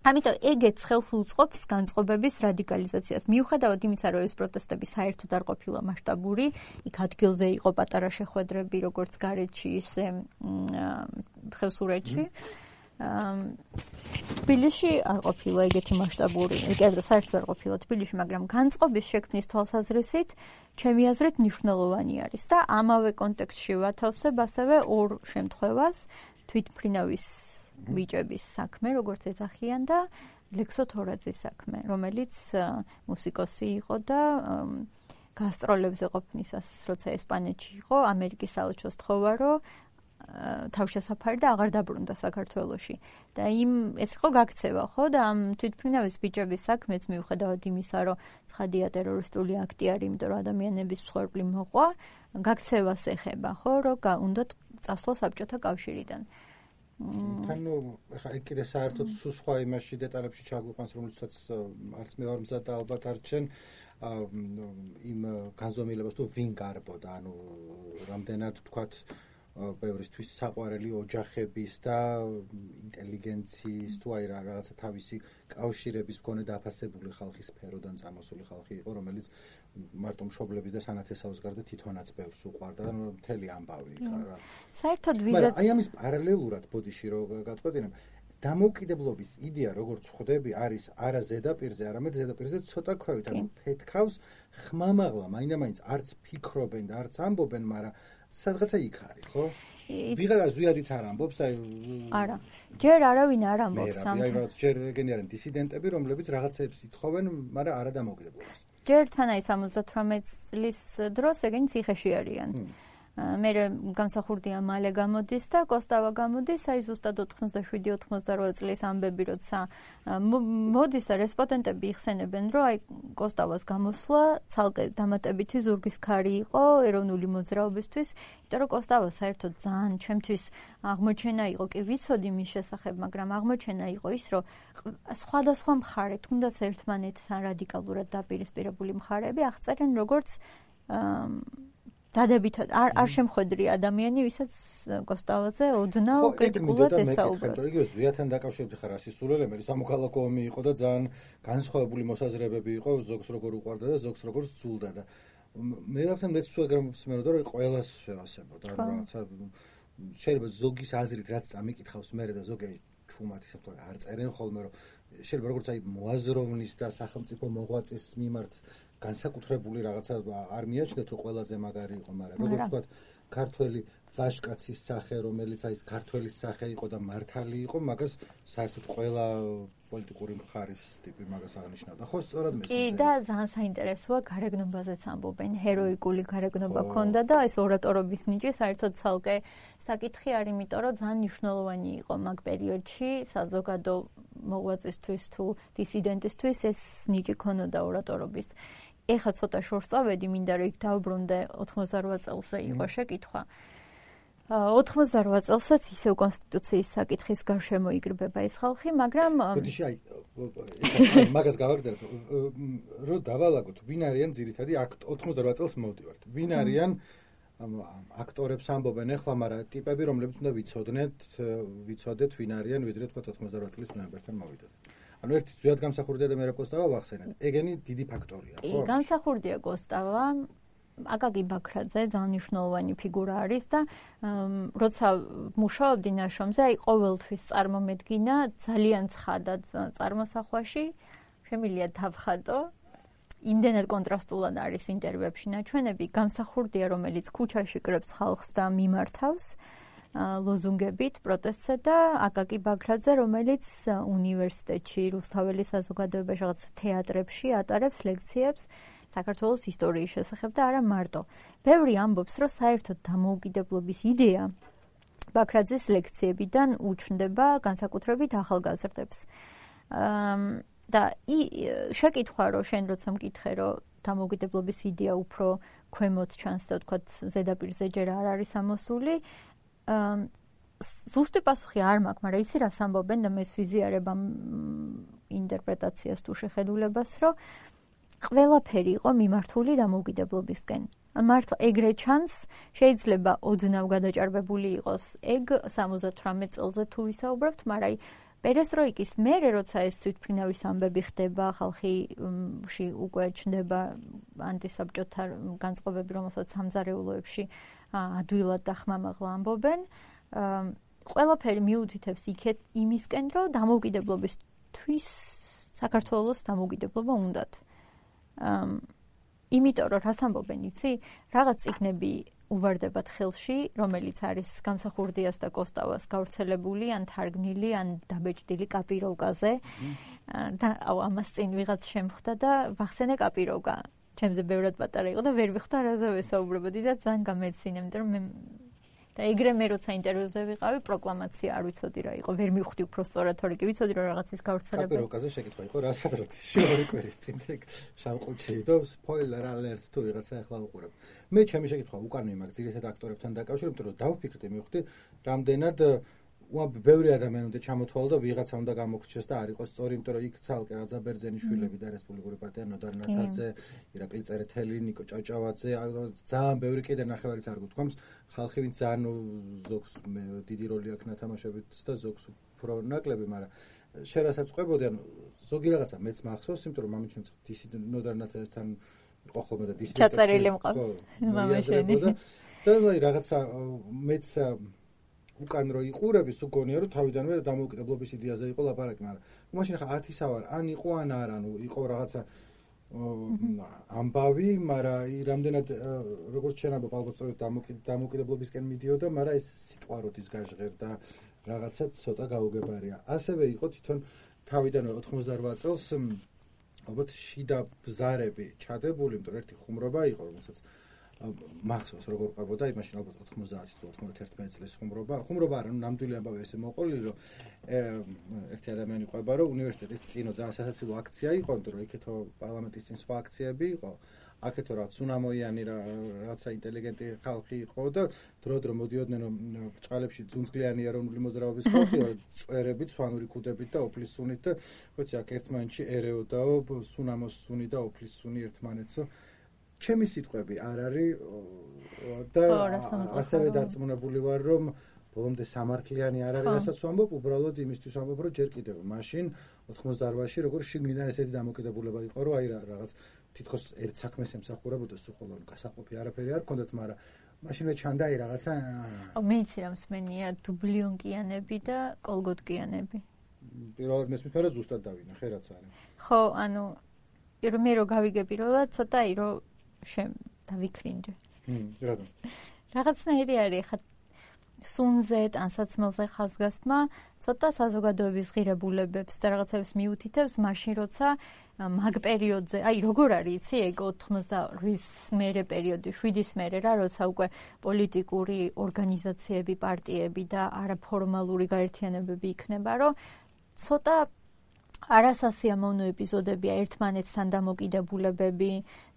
ამიტომ ეგეც ხელს უწყობს განწყობების რადიკალიზაციას. მიუხედავად იმისა, რომ ეს პროტესტები საერთოდ არ ყოფილა მასშტაბური, იქ ადგილზე იყო პატარა შეხვედრები, როგორც გარეჯში, ისე ხევსურეთში. თბილისში არ ყოფილა ეგეთი მასშტაბური, კერძო საერთოდ არ ყოფილა თბილისში, მაგრამ განწყობის შექმნის თვალსაზრისით, ჩემი აზრით მნიშვნელოვანი არის და ამავე კონტექსტში ვათავსებ ასევე ორ შემთხვევას, თვითმფრინავის ბიჭების საქმე, როგორც ეძახიან და ლექსო თორაძის საქმე, რომელიც მუსიკოსი იყო და გასტროლებზე ყოფნისას, როცა ესპანეთში იყო, ამერიკის საელჩოს თხოვა, რომ თავშესაფარი და აღარ დაბრუნდა საქართველოში. და ეს იყო გაქცევა, ხო? და ამ თვითმფრინავის ბიჭების საქმეც მიუხედავად იმისა, რომ ცხადია ტერორისტული აქტი არის, იმიტომ რომ ადამიანების მსხვერპლი მოყვა, გაქცევას ეხება, ხო? რომ უნდათ წასვლა საბჭოთა კავშირიდან. თანო ხა ეგ კიდე საერთოდ სხვა იმაში დეტალებში ჩაგვიყვანს, რომელსაც არც მე ვარ მზად და ალბათ არ ჩენ იმ განზომილებას თუ ვინ გარბოდა, ანუ რამდენად თქვათ ბევრისთვის საყვარელი ოჯახების და ინტელიგენციის თუ აი რაღაცა თავისი კავშირების მქონე დაფასებული ხალხის სფეროდან წამოსული ხალხი იყო, რომელიც მარტო მშობლების და სანათესაოს გარდა თვითონაც ბევრს უყვარდა და მთელი ამბავი იქა რა. საერთოდ ვიზაც აი ამის პარალელურად ბოდიში რო გაწყვეტინებ, დამოუკიდებლობის იდეა როგორც ხვდები არის არა ზედაპირზე, არამედ ზედაპირზე ცოტა ქვევით, ანუ ფეთქავს ხმამაღლა, მაინდა-მაინც არც ფიქრობენ და არც ამბობენ, მაგრამ სადღაცა იქ არის, ხო? ვიღაცა ზვიადიც არ ამბობს, აი არა. ჯერ არავინ არ ამბობს ამ. აი რაღაც ჯერ ეგენი არიან დისიდენტები, რომლებიც რაღაცებს ითხოვენ, მაგრამ არა დამოუკიდებლობას. ჯერ თან აი 78 წლის დროს ეგენი ციხეში არიან. მე გამსახურდია მალე გამოდის და კოსტავა გამოდის, აი ზუსტად 87-88 წლის ამბები, როცა მოდის და რესპონდენტები იხსენებენ, რომ აი კოსტავას გამოსვლა ცალკე დამატებითი ზურგის ქარი იყო ეროვნული მოძრაობისთვის, იმიტომ რომ კოსტავა საერთოდ ძალიან ჩემთვის აღმოჩენა იყო, კი ვიცოდი მის შესახებ, მაგრამ აღმოჩენა იყო ის, რომ სხვადასხვა მხარე, თუნდაც ერთმანეთთან რადიკალურად დაპირისპირებული მხარეები აღწერენ როგორც დადებითად არ შემხვედრი ადამიანი, ვისაც კოსტავაზე ოდნავ კრიტიკულად ესაუბროს. იგივე ზვიათთან დაკავშირებით ხარ ასისულელები, სამოქალაქო ომი იყო და ძალიან განსხვავებული მოსაზრებები იყო, ზოგს როგორ უყვარდა და ზოგს როგორ სძულდა და მე რაღაცა მეც თუ ეგრემოსმენოდა, რომ ყველას შევასებოდა, რომ რაღაცა შეიძლება ზოგის აზრით რაც ამიკითხავს მე და ზოგი ჩუმად ისე თქვა არ წერენ ხოლმე, რომ შეიძლება როგორც აი მოაზროვნის და სახელმწიფო მოღვაწის მიმართ განსაკუთრებული რაღაცა არ მიაჩნდეთ, რომ ყველაზე მაგარი იყო, მაგრამ როგორც ვთქვათ, ქართველი ვაჟკაცის სახე, რომელიც აი ქართველის სახე იყო და მართალი იყო, მაგას საერთოდ ყველა პოლიტიკური მხარის ტიპი მაგას აღნიშნავდა. ხო, სწორად მე. კი, და ძალიან საინტერესოა, გარეგნობაზეც ამბობენ, ჰეროიკული გარეგნობა ქონდა და ეს ორატორობის ნიჭი საერთოდ ცალკე საკითხი არის, იმიტომ რომ ძალიან მნიშვნელოვანი იყო მაგ პერიოდში საზოგადო მოღვაწისთვის თუ დისიდენტისთვის ეს ნიჭი ქონოდა ორატორობის. ეხლა ცოტა შორს წავედი, მინდა რომ იქ დავბრუნდე 88 წელზე იყო შეკითხვა. 88 წელსაც ისევ კონსტიტუციის საკითხის გარშემო იკრიბება ეს ხალხი, მაგრამ ბოდიში აი მაგას გავაგრძელებ, რომ დავალაგოთ, ვინ არიან ძირითადი 88 წელს მოვდივართ. ვინ არიან აქტორებს ამბობენ ახლა, მაგრამ ტიპები, რომლებიც უნდა ვიცოდეთ, ვინ არიან, ვიდრე თქვა 88 წლის ნოემბერთან მოვიდოთ. ანუ ერთი ზუსტად გამსახურდია და მე რა კოსტავა ვახსენეთ. ეგენი დიდი ფაქტორია, ხო? გამსახურდია კოსტავა. აკაკი ბაქრაძე ძალიან მნიშვნელოვანი ფიგურა არის და როცა მუშაობდი ნაშრომზე, აი ყოველთვის წარმომედგინა ძალიან ცხადა წარმოსახვაში, შემიძლია დავხატო. იმდენად კონტრასტულად არის ინტერვიუებში ნაჩვენები, გამსახურდია, რომელიც ქუჩაში კრებს ხალხს და მიმართავს ლოზუნგებით პროტესტზე და აკაკი ბაქრაძე, რომელიც უნივერსიტეტში, რუსთაველის საზოგადოებაში, რაღაც თეატრებში ატარებს ლექციებს საქართველოს ისტორიის შესახებ და არა მარტო. ბევრი ამბობს, რომ საერთოდ დამოუკიდებლობის იდეა ბაქრაძის ლექციებიდან უჩნდება განსაკუთრებით ახალგაზრდებს. და შეკითხვა, რომ შენ როცა მკითხე, რომ დამოუკიდებლობის იდეა უფრო ქვემოთ ჩანს და თქვა ზედაპირზე ჯერ არ არის ამოსული, ზუსტი პასუხი არ მაქვს, მაგრამ იცი რას ამბობენ და მე ვიზიარებ ამ ინტერპრეტაციას თუ შეხედულებას, რომ ყველაფერი იყო მიმართული დამოუკიდებლობისკენ. მართლა ეგრე ჩანს, შეიძლება ოდნავ გადაჭარბებული იყოს ეგ 78 წელზე თუ ვისაუბრებთ, მაგრამ პერესტროიკის მერე, როცა ეს თვითმფრინავის ამბები ხდება, ხალხში უკვე ჩნდება ანტისაბჭოთა განწყობები, რომელსაც სამზარეულოებში ადვილად და ხმამაღლა ამბობენ, ყველაფერი მიუთითებს იქეთ იმისკენ, რომ დამოუკიდებლობისთვის საქართველოს დამოუკიდებლობა უნდათ. იმიტომ რომ რას ამბობენ, იცი? რაღაც წიგნები უვარდებათ ხელში, რომელიც არის გამსახურდიას და კოსტავას გავრცელებული, ან თარგმნილი, ან დაბეჭდილი კაპიროვკაზე. და ამას წინ ვიღაც შემხვდა და ვახსენე კაპიროვკა. ჩემზე ბევრად პატარა იყო და ვერ ვიხდა რაზე ვესაუბრებოდი და ძალიან გამეცინე, იმიტომ რომ მე და ეგრე მე როცა ინტერვიუზე ვიყავი, პროკლამაცია არ ვიცოდი რა იყო, ვერ მივხვდი უფრო სწორად, თორე კი ვიცოდი რომ რაღაცის გავრცელება. კაპიროვკაზე შეკითხვა იყო, რასაც შევარი კვირის წინ ეგ შავყუთში და სპოილერ ალერტ თუ ვიღაცა ახლა უყურებ. მე ჩემი შეკითხვა უკანვე მაგ ძირითად აქტორებთან დაკავშირებით, რომ დავფიქრდი, მივხვდი, რამდენად ბევრი ადამიანი უნდა ჩამოთვალო და ვიღაცა უნდა გამოგრჩეს და არ იყოს სწორი, იმიტომ რომ იქ ცალკე რაძა ბერძენიშვილები და რესპუბლიკური პარტია ნოდარ ნათაძე, ირაკლი წერეთელი, ნიკო ჭავჭავაძე, ძალიან ბევრი კიდე ნახევარიც არ გუთქვამს, ხალხი ვინც ძალიან ზოგს დიდი როლი აქვს ნათამაშებით და ზოგს უფრო ნაკლები, მაგრამ შენ რასაც ყვებოდი, ანუ ზოგი რაღაცა მეც მახსოვს, იმიტომ რომ მამიჩემ ნოდარ ნათაძესთან იყო ხოლმე და დისიდენტი ჩაწერილი მყავს მამაშენი და რაღაცა მეც უკან რო იყურები, სულ გონია რომ თავიდანვე დამოუკიდებლობის იდეაზე იყო ლაპარაკი, მაგრამ მაშინ ხა 10 სავარ, ან იყო ან არა, ანუ იყო რაღაცა ამბავი, მაგრამ რამდენად როგორც შენ ამბობ, ალბათ სწორედ დამოუკიდებლობისკენ მიდიოდა, მაგრამ ეს სიტყვა როდის გაჟღერდა, რაღაცა ცოტა გაუგებარია. ასევე იყო თვითონ თავიდანვე 88 წელს ალბათ შიდა ბზარები ჩადებული, იმიტომ ერთი ხუმრობა იყო, რომელსაც მახსოვს როგორ ყვებოდა, იმაში ალბათ 90-91 წლის ხუმრობა არა, ნამდვილი ამბავი ესე მოყოლილი, რომ ერთი ადამიანი ყვება, რომ უნივერსიტეტის წინო ძალიან სასაცილო აქცია იყო, იმიტომ რომ იქეთო პარლამენტის წინ სხვა აქციები იყო, აქეთო რაც სუნამოიანი რაცა ინტელიგენტი ხალხი იყო და დრო მოდიოდნენ ბრჭყალებში ძუნძღლიანი ეროვნული მოძრაობის ხალხი, წვერებით, სვანური ქუდებით და ოფლის სუნით და ხოცი აქ ერთმანეთში ერეოდაო, სუნამოს სუნი და ოფლის სუნი ერთმანეთსო. ჩემი სიტყვები არ არის და ასევე დარწმუნებული ვარ, რომ ბოლომდე სამართლიანი არ არის, რასაც ვამბობ, უბრალოდ იმისთვის ვამბობ, რომ ჯერ კიდევ მაშინ 88-ში როგორ შიგნიდან ესეთი დამოკიდებულება იყო, რომ აი რაღაც თითქოს ერთ საქმეს ემსახურებოდა სულ გასაყოფი არაფერი არ ქონდათ, მაგრამ მაშინვე ჩანდა აი რაღაცა. მე იცი რა მსმენია დუბლიონკიანები და კოლგოტკიანები. პირველად მესმის, მაგრამ ზუსტად დავინახე რაც არის. ხო, ანუ მე რო გავიგე პირველად, ცოტა აი რო დავიქრინჯე. რატომ? რაღაცნაირი არის ხა სუნზე, ტანსაცმელზე ხაზგასმა ცოტა საზოგადოების ღირებულებებს და რაღაცებს მიუთითებს მაშინ როცა მაგ პერიოდზე, აი როგორ არის იცი ეგ 88-ის მერე პერიოდი, 7-ის მერე რა, როცა უკვე პოლიტიკური ორგანიზაციები, პარტიები და არაფორმალური გაერთიანებები იქნება, რომ ცოტა არასასიამოვნო ეპიზოდებია ერთმანეთთან დამოკიდებულებები,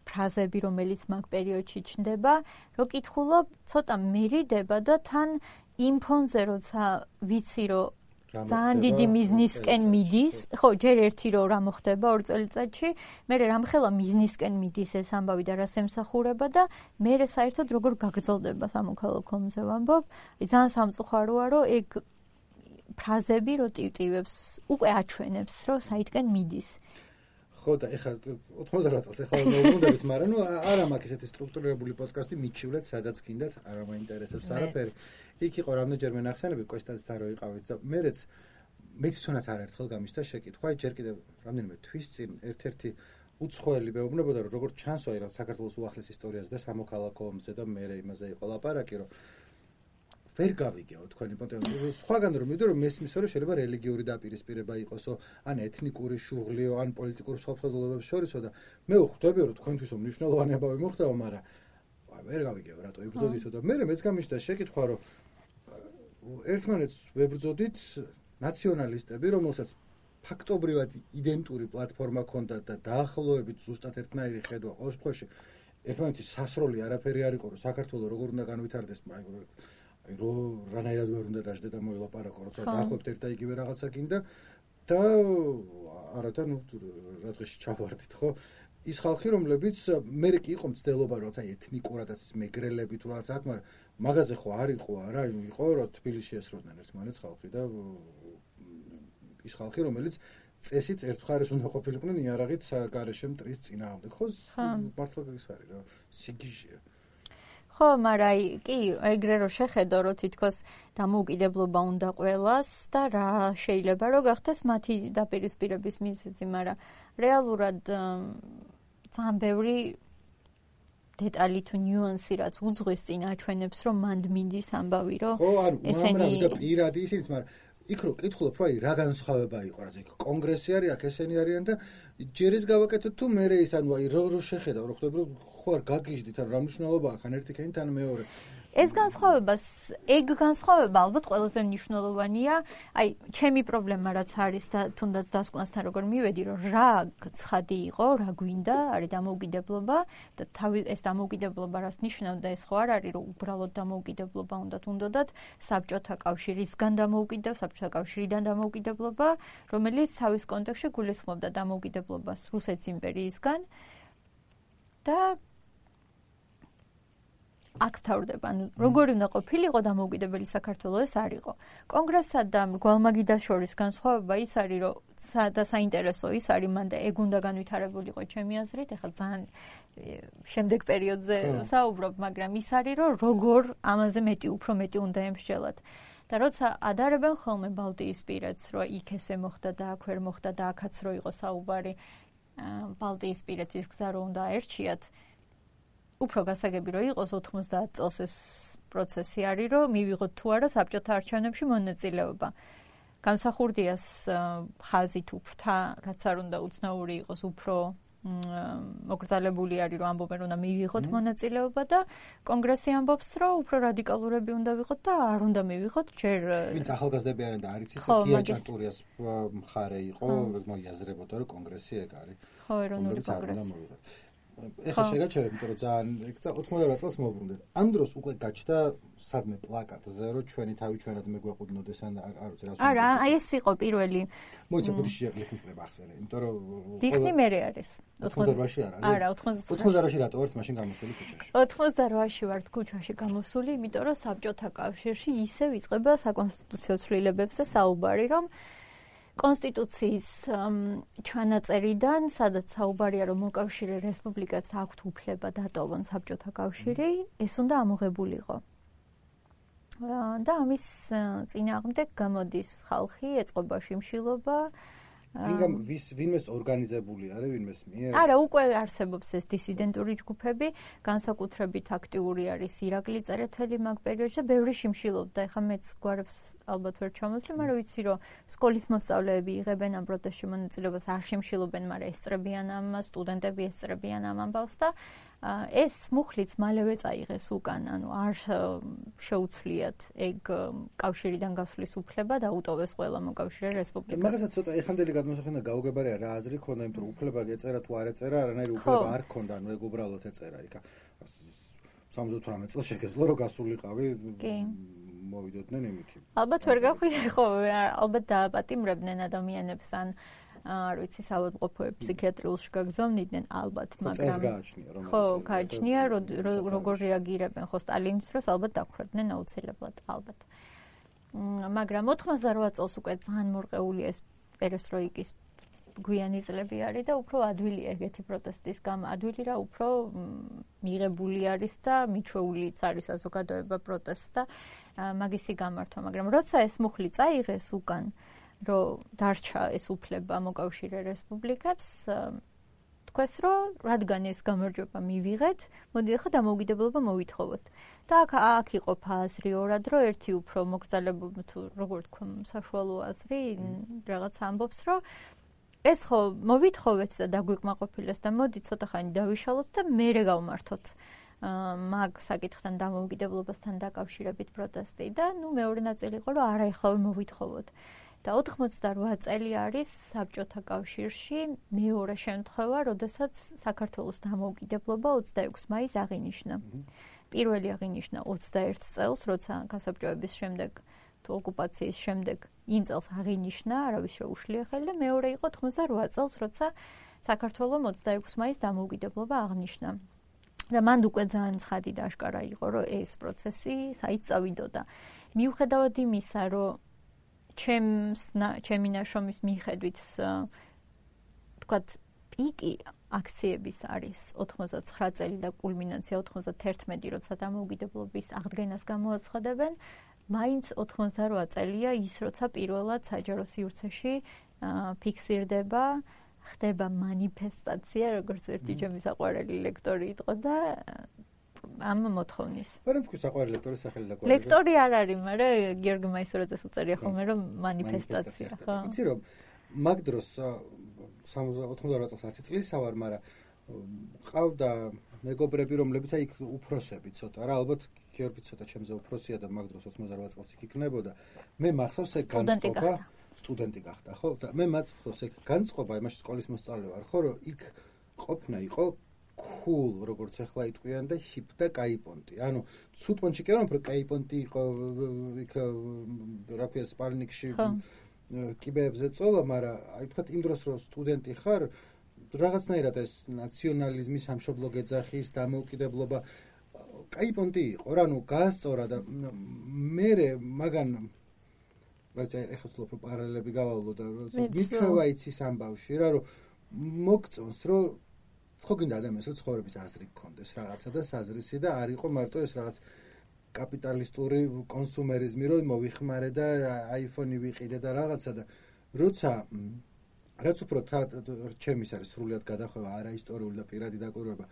ფრაზები, რომელიც მაგ პერიოდში ჩნდება, რომ კითხულობ, ცოტა მერიდება და თან იმ ფონზე, როცა ვიცი, რომ ძალიან დიდი მიზნისკენ მიდის, ხო, ჯერ ერთი რომ რა მოხდება 2 წელიწადში, მერე რამხელა მიზნისკენ მიდის ეს ამბავი და რას ემსახურება და მერე საერთოდ როგორ გაგრძელდება სამოქალაქო ომზე ვამბობ, ძალიან სამწუხაროა, რომ ეგ ფრაზები რო ტივტივებს, უკვე აჩვენებს, რომ საითკენ მიდის. ხო და ეხლა 98 წელს ეხლა მოვუნდებით, მაგრამ არა მაქვს ესეთი სტრუქტურირებული პოდკასტი მიჩივლეთ, სადაც გინდათ, არა მაინტერესებს არაფერი. იქ იყო რამდენჯერმე ნახსენები, კოსტაძთან რო იყავით და მეც თვითონაც არაერთხელ გამიშთა შეკითხვა, ჯერ კიდევ რამდენიმე თვის წინ ერთ-ერთი უცხოელი მეუბნებოდა, რომ როგორც ჩანს, აი რა საქართველოს უახლეს ისტორიაზე და სამოქალაქო ომზე და მე იმაზე იყო ლაპარაკი, რომ ვერ გავიგეო თქვენი პონტენცია. სხვაგან რომ მივიდო, რომ მესმის, რომ შეიძლება რელიგიური დაპირისპირება იყოსო, ან ეთნიკური შუღლიო, ან პოლიტიკურ სხვადასხვაობებს შორისო და მე ვხვდები, რომ თქვენთვისო მნიშვნელოვანი ამბავი მოხდება, მაგრამ ვერ გავიგეო რატო იბრძოდითო და მე მეც გამიშთა შეკითხვა, რომ ერთმანეთს ვებრძოდით ნაციონალისტები, რომელსაც ფაქტობრივად identური პლატფორმა ჰქონდა და დაახლოებით ზუსტად ერთნაირი ხედვა ყოველ შემთხვევაში ერთმანეთის სასროლი არაფერი არ იყო, რომ საქართველოს როგორ უნდა განვითარდეს, რანაირად ვერ უნდა დაждდა და მოელაპარაკო, როცა დაახლოებით ერთ და იგივე რაღაცა გინდა და არათა რა დღეში ჩავარდით, ხო? ის ხალხი, რომლებიც მე კი იყო მცდელობა, როცა ეთნიკურადაც მეგრელები თუ რაღაც აქ, მაგრამ მაგაზე ხო არ იყო არა, იყო რომ თბილისში ესროდნენ ერთმანეთს ხალხი და ის ხალხი, რომელიც წესით ერთ მხარეს უნდა ყოფილიყვნენ იარაღით გარეშე მტრის წინააღმდეგ, ხო? მართლა ის არის რა, სიგიჟეა. ხო, მაგრამ კი, ეგრე რომ შეხედო, რომ თითქოს დამოუკიდებლობა უნდა ყველას და რა შეიძლება რომ გახდეს მათი დაპირისპირების მიზეზი, მაგრამ რეალურად ძალიან ბევრი დეტალი თუ ნიუანსი რაც უძღვის წინ აჩვენებს, რომ მანდ მინდის ამბავი, რომ ესენი და პირადი ისიც, მაგრამ იქ რო კითხულობ, რომ აი რა განსხვავება იყო, რა ზეკ კონგრესი არის, აქ ესენი არიან და ჯერ ის გავაკეთოთ თუ მე ის ანუ აი რო შეხედავ, რო ხვდები, რომ ხო არ გაგიჟდით, ან რა მნიშვნელობაა, ხან ერთი ქენი თან მეორე. ეს განსხვავება ალბათ ყველაზე მნიშვნელოვანია, აი ჩემი პრობლემა რაც არის და თუნდაც დასკვნასთან როგორ მივედი, რომ რა ცხადი იყო, რა გვინდა, არის დამოუკიდებლობა და ეს დამოუკიდებლობა რას ნიშნავდა, ეს ხო არ არის, რომ უბრალოდ დამოუკიდებლობა უნდათ საბჭოთა კავშირისგან საბჭოთა კავშირიდან დამოუკიდებლობა, რომელიც თავის კონტექსტში გულისხმობდა დამოუკიდებლობას რუსეთის იმპერიისგან და აქ თავდება, ანუ როგორი უნდა ყოფილიყო დამოუკიდებელი საქართველოს ეს არ იყო. კონგრესსა და მრგვალმაგიდას შორის განსხვავება ის არის, რომ და საინტერესო ის არის, მანდა ეგ უნდა განვითარებულიყო ჩემი აზრით, ეხლა ძალიან შემდეგ პერიოდზე საუბრობ, მაგრამ ის არის, რომ როგორ ამაზე უფრო მეტი უნდა ემსჯელოთ. და როცა ადარებენ ხოლმე ბალტიისპირეთს, რომ იქ ესე მოხდა და აქ ვერ მოხდა და აქაც რო იყო საუბარი, ბალტიისპირეთის გზა რო უნდა აერჩიათ, უფრო გასაგები რო იყოს 90 წელს ეს პროცესი არის, რომ მივიღოთ თუ არა საბჭოთა არჩევნებში მონაწილეობა. გამსახურდიას ხაზი თუ ფრთა, რაც არ უნდა უცნაური იყოს, უფრო მოგრძალებული არის, რომ ამბობენ, უნდა მივიღოთ მონაწილეობა და კონგრესი ამბობს, რომ უფრო რადიკალურები უნდა ვიყოთ და არ უნდა მივიღოთ ჯერ ვინც ახალგაზრდები არიან და არც ისე გია ჭარტურიას მხარე იყო, მოიაზრებოდა, რომ კონგრესი ეგ არის. ხო, ეროვნული კონგრესი. ეხლა შეგაჩერებ, იმიტომ რომ ძალიან 98 წელს მოვბრუნდეთ. ამ დროს უკვე გაჩნდა სადმე პლაკატზე, რომ ჩვენი თავი ჩვენად მეგვეყუდნოდეს ან არ ვიცი რა. არა, აი ეს იყო პირველი. მოიცა ბუდიში ლიხის კრება ახსენე, იმიტომ რომ ლიხნი მერე არის. 98-ში არ არის. არა, 98-ში რატო ვართ მაშინ გამოსული ქუჩაში? 98-ში ვართ ქუჩაში გამოსული, იმიტომ რომ საბჭოთა კავშირში ისევ იწყება საკონსტიტუციო ცვლილებებზე საუბარი, რომ კონსტიტუციის ჩანაწერიდან, სადაც საუბარია, რომ მოკავშირე რესპუბლიკებს აქვთ უფლება დატოვონ საბჭოთა კავშირი, ეს უნდა ამოღებულიყო. და ამის წინააღმდეგ გამოდის ხალხი, ეწყობა შიმშილობა. ვინმეს ორგანიზებული არის, ვინმეს მიერ? არა, უკვე არსებობს ეს დისიდენტური ჯგუფები, განსაკუთრებით აქტიური არის ირაკლი წერეთელი მაგ პერიოდში და ბევრი შიმშილობდა. ეხლა მეც გვარებს ალბათ ვერ ჩამოვთვლი, მაგრამ ვიცი, რომ სკოლის მოსწავლეები იღებენ ამ პროტესტში მონაწილეობას, არ შიმშილობენ, მაგრამ ესწრებიან ამას, სტუდენტები ესწრებიან ამ ამბავს და ეს მუხლიც მალევე წაიღეს უკან, ანუ არ შეუცვლიათ ეგ კავშირიდან გასვლის უფლება და უტოვეს ყველა მოკავშირე რესპუბლიკას. მაგასაც ცოტა ეხანდელი გადმოსახენა გაუგებარია რა აზრი ქონდა, იმიტომ რომ უფლება ეწერა თუ არ ეწერა, არანაირი უფლება არ ქონდა, ანუ ეგ უბრალოდ ეწერა იქა. 78 წელს შეგეძლო რომ გასულიყავი. მოვიდოდნენ იმით. ალბათ ვერ გახვიდე ხო, ალბათ დააპატიმრებდნენ ადამიანებს ან არ ვიცი, საავადმყოფოები ფსიქიატრიულში გაგზავნიდნენ ალბათ, მაგრამ ხო, გააჩნია როგორ რეაგირებენ ხო სტალინის დროს, ალბათ დაგხროდნენ აუცილებლად, ალბათ. მაგრამ 88 წელს უკვე ძალიან მორყეული ეს პერესტროიკის გვიანი წლები არის და უფრო ადვილია ეგეთი პროტესტის ადვილი რა უფრო მიღებული არის და მიჩვეულიც არის საზოგადოება პროტესტს და მაგისი გამართვა, მაგრამ როცა ეს მუხლი წაიღეს უკან რომ დარჩა ეს უფლება მოკავშირე რესპუბლიკებს, თქვეს რომ რადგან ეს გამარჯვება მივიღეთ, მოდი ახლა დამოუკიდებლობა მოვითხოვოთ. და აქ იყოფა აზრი ორად, რომ ერთი უფრო მოგრძალებულნი თუ როგორ თქვა, საშუალო აზრი, რაღაც ამბობს, რომ ეს ხო მოვითხოვეთ და დაგვიკმაყოფილეს და მოდი ცოტა ხანი დავიშალოთ და მერე გავმართოთ. მაგ საკითხთან დამოუკიდებლობასთან დაკავშირებით პროტესტი და ნუ მეორე ნაწილი იყო, რომ არა ეხლა მოვითხოვოთ. და 88 წელი არის საბჭოთა კავშირში მეორე შემთხვევა, როდესაც საქართველოს დამოუკიდებლობა 26 მაისს აღინიშნა. პირველი აღინიშნა 21 წელს, როცა გასაბჭოების შემდეგ თუ ოკუპაციის შემდეგ იმ წელს აღინიშნა, არავის შეუშვია ხელი და მეორე იყო 98 წელს, როცა საქართველოს 26 მაისს დამოუკიდებლობა აღნიშნა. და მანდ უკვე ძალიან ცხადი და აშკარა იყო, რომ ეს პროცესი საით წავიდოდა. მიუხედავად იმისა, რომ ჩემი ნაშრომის მიხედვით თქვათ პიკი აქციების არის 89 წელი და კულმინაცია 91, როცა დამოუკიდებლობის აღდგენას გამოაცხადებენ, მაინც 88 წელია ის, როცა პირველად საჯარო სივრცეში ფიქსირდება, ხდება მანიფესტაცია, როგორც ერთი ჩემი საყვარელი ლექტორი იყო და ამ მოთხოვნის. მაგრამ თქვი საყვარელი ლექტორის სახელი და გვარი. ლექტორი არ არის, მაგრამ გიორგი მაისურაძეს უწერია ხოლმე რომ მანიფესტაცია, ხო? იცი რომ მაგ დროს 88 წელს 10 წლის ვარ, მაგრამ ყავდა მეგობრები, რომლებიც აი იქ უფროსები ცოტა რა, ალბათ გიორგი ცოტა ჩემზე უფროსია და მაგ დროს 88 წელს იქ იქნებოდა. მე მახსოვს ეგ განწყობა, სტუდენტი გახდა, ხო? და მე მახსოვს ეგ განწყობა, იმაში სკოლის მოსწავლე ვარ, ხო, რომ იქ ყოფნა იყო cool, როგორც ახლა იტყვიან და hip და კაიპონტი. ანუ ცუდ პონჩი კი არა, მაგრამ კაიპონტი იყო იქ რაფია სპალნიკში კიბეებზე წოლა, მაგრამ აი თქვა იმ დროს რომ სტუდენტი ხარ, რაღაცნაირად ეს ნაციონალიზმის სამშობლო გეძახის დამოუკიდებლობა კაიპონტი იყო რა, ნუ გაასწორა და მე მაგან რაც ეხლა ვთქვი პარალელები გავავლო და მიჩვევა იცის ამბავში რა, რომ მოგწონს რომ ხო გინდა ადამიანს რომ ცხოვრების აზრი გქონდეს რაღაცა და საზრისი და არ იყო მარტო ეს რაღაც კაპიტალისტური კონსუმერიზმი რომ მოვიხმარე და აიფონი ვიყიდე და რაღაცა და როცა რაც უფრო ჩემის არის სრულიად გადახვევა არა ისტორიული და პირადი დაკვირვება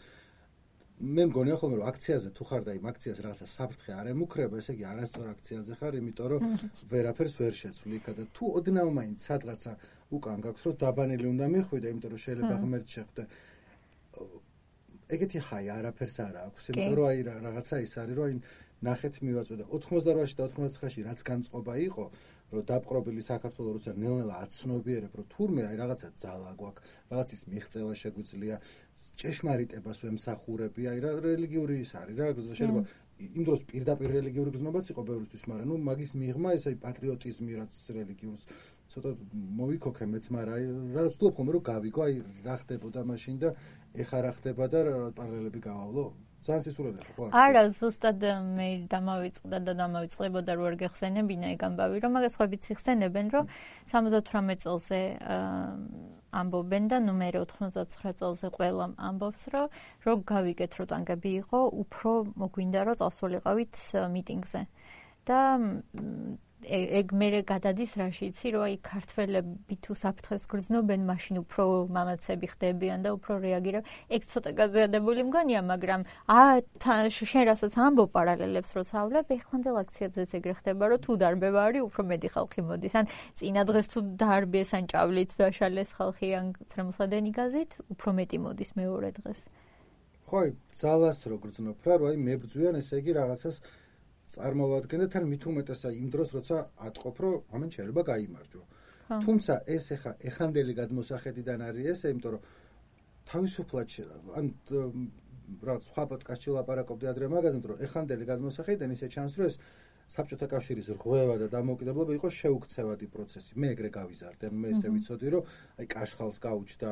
მე მგონია ხოლმე რომ აქციაზე თუ ხარ და იმ აქციას რაღაცა საფრთხე არ ემუქრება, ესე იგი არასწორ აქციაზე ხარ, იმიტომ რომ ვერაფერს ვერ შეცვლი იქა და თუ ოდნავ მაინც სადღაცა უკან გაქვს რომ დაბანილი უნდა მიხვიდე, იმიტომ რომ შეიძლება ღმერთ შეხვდე. ეგეთი ჰაი არაფერს არ აქვს, იმიტომ რომ აი რაღაცა ის არის, რომ აი ნახეთ მივაწვდა 88-ში და 99-ში რაც განწყობა იყო, რომ დაპყრობილი საქართველოს როცა ნელ-ნელა აცნობიერებ, რომ თურმე აი რაღაცა ძალა გვაქვს, რაღაცის მიღწევა შეგვიძლია, ჭეშმარიტებას ვემსახურები, აი რა რელიგიური ის არის რა, შეიძლება იმ დროს პირდაპირ რელიგიური გზნობაც იყო ბევრისთვის, მაგრამ ნუ მაგის მიღმა ეს აი პატრიოტიზმი რაც რელიგიურს ცოტა მოვიქოქე მეც, მაგრამ აი რა ვთქვი ხომ რომ გავიგო, აი რა ხდებოდა მაშინ და ეხა რა ხდება და პარალელები გავავლო. ძალიან სისულელია ხო? არა, ზუსტად მე დამავიწყდა და დამავიწყებოდა რო არ გეხსენებინა ეგ ამბავი, რომ მაგას ხვებით იხსენებენ, რომ 78 წელზე ამბობენ და ნუ მე 99 წელზე ყველამ ამბობს, რომ გავიგეთ, რომ ტანგები იყო, უფრო მოგვინდა რომ წავსულიყავით მიტინგზე. და ეგ მე გადადის რაში იცი, რომ აი ქართველები თუ საფრთხეს გრძნობენ, მაშინ უფრო მამაცები ხდებიან და უფრო რეაგირებენ. ეგ ცოტა გაზიადებული მგონია, მაგრამ შენ რასაც ამბობ პარალელებს რო სავლებ, ეხლანდელ აქციებზეც ეგრე ხდება, რომ თუ დარბევა არის, უფრო მეტი ხალხი მოდის. ან წინა დღეს თუ დარბეს, ან ჭავლით დაშალეს ხალხი, ან ცრემლსადენი გაზით, უფრო მეტი მოდის მეორე დღეს. ხო, ძალას რო გრძნობ რა, რომ აი მებრძვიან, ესე იგი რაღაცას წარმოვადგენ და თან მით უმეტესა იმ დროს როცა ატყობ რომ ამან შეიძლება გაიმარჯვო. თუმცა ეს ეხანდელი გადმოსახედიდან არის ესე, იმიტომ რომ თავისუფლად ან რა სხვა პოდკასტში ლაპარაკობდი ადრე მაგაზე, რომ ეხანდელი გადმოსახედიდან ისე ჩანს რომ ეს საბჭოთა კავშირის რღვევა და დამოუკიდებლობა იყო შეუქცევადი პროცესი. მე ეგრე გავიზარდე, მე ესე ვიცოდი რომ აი კაშხალს გაუჩდა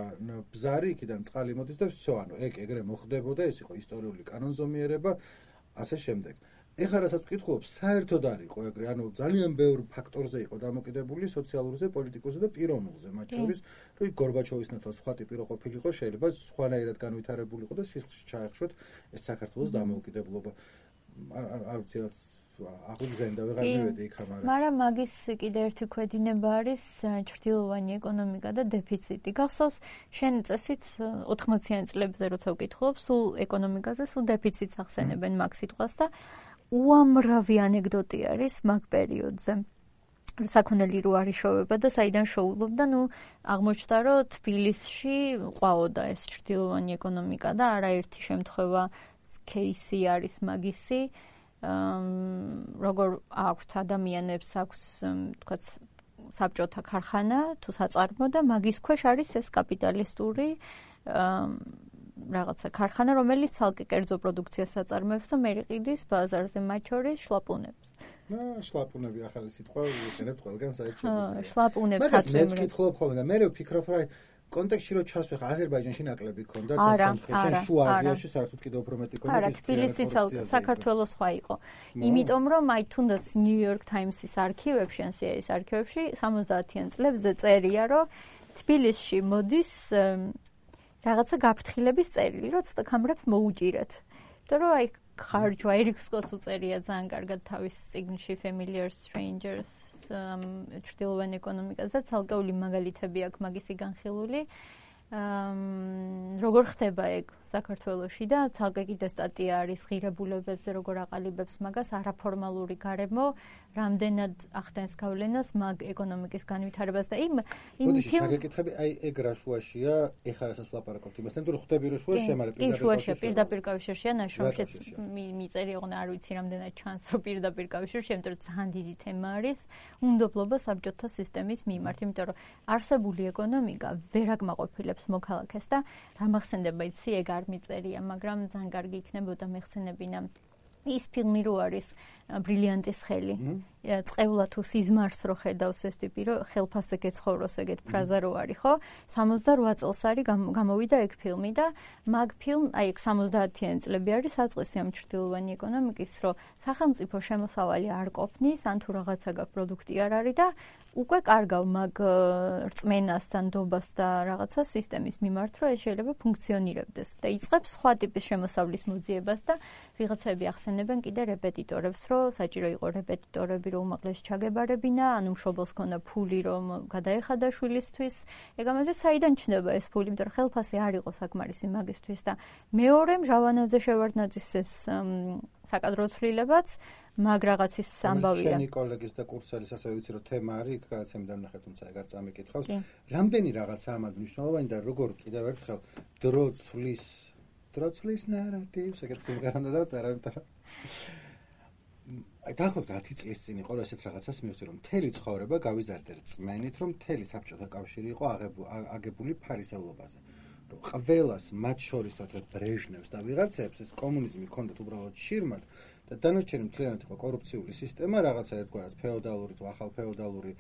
ბზარი, იქიდან წყალი მოდის და всё, ანუ ეგრე მოხდებოდა, ეს იყო ისტორიული კანონზომიერება, ასე შემდეგ. ეხლა რასაც ვკითხულობ, საერთოდ არ იყო ეგრე, ანუ ძალიან ბევრ ფაქტორზე იყო დამოკიდებული სოციალურზე, პოლიტიკურზე და პიროვნულზე, მათ შორის, რომ გორბაჩოვის ნაცვლად სხვა ტიპი რო ყოფილიყო, შეიძლება სხვანაირად განვითარებულიყო და სისხლში ჩაეხშოთ ეს საქართველოს დამოუკიდებლობა. არ ვიცი რაც აღგზენდა ვეღარ მივედი იქ ამარა. მაგრამ მაგის კიდე ერთი ქვედინება არის ჩრდილოვანი ეკონომიკა და დეფიციტი. გახსოვს, შენ წესით 80-იან წლებზე როცა ვკითხულობ, სულ ეკონომიკაზე, სულ დეფიციტს ახსენებენ მაგ სიტყვას და უამრავი ანეკდოტი არის მაგ პერიოდზე. საქონელი რო არის შოვება და საიდან შოულობდა, ნუ აღმოჩნდა, რომ თბილისში ყვაოდა ეს ჩრდილოვანი ეკონომიკა და არაერთი შემთხვევა кейსი არის მაგისი. როგორ აქვთ ადამიანებს აქვს თქვა საბჭოთა ქარხანა თუ საწარმო და მაგის ქვეშ არის ეს კაპიტალისტური რაღაცა ქარხანა, რომელიც ცალკე კერძო პროდუქციას აწარმოებს და მე ყიდის ბაზარზე, მათ შორის შლაპუნებს. შლაპუნები ახალი სიტყვა ვიყენებთ ყველგან საერთოდ. შლაპუნებს აწარმოებს. მე ვკითხულობ ხოლმე და მე ვფიქრობ, რომ კონტექსტში რო ჩასვეხა, აზერბაიჯანში ნაკლები ქონდა და სამხრეთში, შუა აზიაში საერთოდ კიდევ უფრო მეტი ქონდა. არა, თბილისი საქართველოს სხვა იყო. იმიტომ რომ აი თუნდაც New York Times-ის არქივებში, ან CIA-ის არქივებში 70-იან წლებზე წერია, რომ თბილისში მოდის რაღაცა გაფრთხილების წერილი, რომ ცოტა კამრებს მოუჭირეთ. და რომ აი ხარჯვა ერიკ სკოტს უწერია ძალიან კარგად თავის წიგნში Familiar Strangers ჩრდილოვან ეკონომიკაზე, ცალკეული მაგალითები აქვს მაგისი განხილული. როგორ ხდება ეგ საქართველოში და ცალკე კიდე სტატია არის ღირებულებებზე, როგორ აყალიბებს მაგას არაფორმალური გარემო, რამდენად ახდენს გავლენას მაგ ეკონომიკის განვითარებას და იმ შეგეკითხები, აი ეგ რა შუაშია, ეხლა რასაც ვლაპარაკობთ იმასთან, თუ ხვდები რომ შუაში ამara პირდაპირ კავშირშია ნაშრომშიც მიწერია, არ ვიცი რამდენად ჩანს რომ პირდაპირ კავშირში, იმიტომ რომ ძალიან დიდი თემა არის უნდობლობა საბჭოთა სისტემის მიმართ, იმიტომ რომ არსებული ეკონომიკა ვერ აკმაყოფილებს მოქალაქეს და რა მახსენდება იცი ეგ არ მიწერია, მაგრამ ძალიან კარგი იქნებოდა მეხსენებინა ის ფილმი რო არის ბრილიანტის ხელი. წევლა თუ სიზმარს რო ხედავს ეს ტიპი რო ხელფასზე გეცხოვროს ეგეთ ფრაზა რო არის, ხო? 68 წელს არის გამოვიდა ეგ ფილმი და მაგ ფილმ, აი 70-იანი წლები არის საწყისი ამ ჩრდილოვანი ეკონომიკის, რომ სახელმწიფო შემოსავალი არ ყოფნის, ან თუ რაღაცა გაქვს პროდუქტი არ არის და უკვე კარგავ მაგ რწმენას და ნდობას და რაღაცა სისტემის მიმართ, რომ ეს შეიძლება ფუნქციონირებდეს და იწყებს სხვა ტიპის შემოსავლის მოძიებას და ვიღაცები ახსენებენ კიდე რეპეტიტორებს, რომ საჭირო იყო რეპეტიტორები რომ უმაღლეს ჩაგებარებინა, ანუ მშობელს ქონდა ფული რომ გადაეხადა შვილისთვის. ეგ ამაზე საიდან ჩნდება ეს ფული, იმიტომ რომ ხელფასი არ იყო საკმარისი მაგისთვის და მეორე მჟავანაძე შევარდნაძის ეს საკადრო ცვლილებაც, მაგ რაღაცის ამბავია. შენი კოლეგის და კურსელის ასევე ვიცი რომ თემა არის, იქ გადაცემი დამნახე, თუმცა ეგ არ წამიკითხავს. რამდენი რაღაცა ამად მნიშვნელოვანი და როგორ კიდევ ერთხელ დრო ცვლის ნარატივს, ეგეც სიმღერა უნდა დავწერა, იმიტომ აი დაახლოებით 10 წლის წინ იყო ესეთ რაღაცას მივხვდი რომ მთელი ცხოვრება გავიზარდე რწმენით რომ მთელი საბჭოთა კავშირი იყო აგებული ფარისევლობაზე. რომ ყველას მათ შორის რა ბრეჟნევს და ვიღაცებს ეს კომუნიზმი ქონდათ უბრალოდ შირმად და დანარჩენი მთლიანად იყო კორუფციული სისტემა, რაღაცა ერთგვარად ფეოდალური თუ ახალ ფეოდალური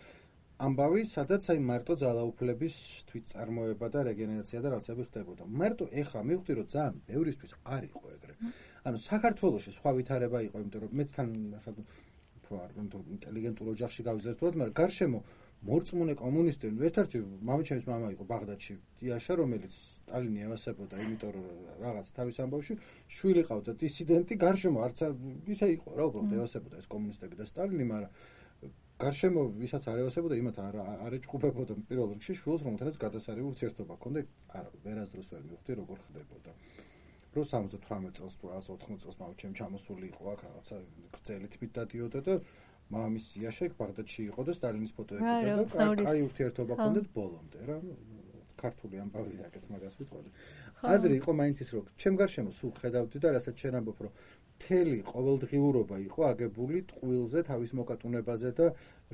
ამბავი, სადაც აი მარტო ძალაუფლების თვითწარმოება და რეგენერაცია და რაღაცები ხდებოდა. მარტო ეხლა მივხვდი რომ ძალიან ბევრისთვის არ იყო ეგრე. ანუ საქართველოში სხვა ვითარება იყო, იმიტომ რომ მეც თან ინტელიგენტურ ოჯახში გავიზარდეთ, მაგრამ გარშემო მორწმუნე კომუნისტები, ერთ-ერთი მამაჩემის მამა იყო ბაღდადში, დიაშა, რომელიც სტალინი ევასებოდა, იმიტომ რომ რაღაც თავის ამბავში შვილი ყავდა დისიდენტი, გარშემო არც ისე იყო რა, უბრალოდ ევასებოდა ეს კომუნისტები და სტალინი, მაგრამ გარშემო ვისაც არ ევასებოდა, იმათ არ ეჭყუპებოდა პირველ რიგში შვილს, რომელთანაც გადასარევი ურთიერთობა ჰქონდა, არა, ვერასდროს ვერ მივხვდი როგორ ხდებოდა. რო 78 წელს თუ 180 წელს მამაჩემ ჩამოსული იყო აქ რაღაცა გრძელი თმით დადიოდა და მამის იაშა ბაღდადში იყო და სტალინის ფოტო ეკიდა და კაი ურთიერთობა ჰქონდათ ბოლომდე რა ქართული ამბავია ეგეც მაგას ვიტყოდი. აზრი იყო მაინც ის რომ ჩემ გარშემო სულ ხედავდი და რასაც შენ ამბობ რომ მთელი ყოველდღიურობა იყო აგებული ტყუილზე თავის მოკატუნებაზე და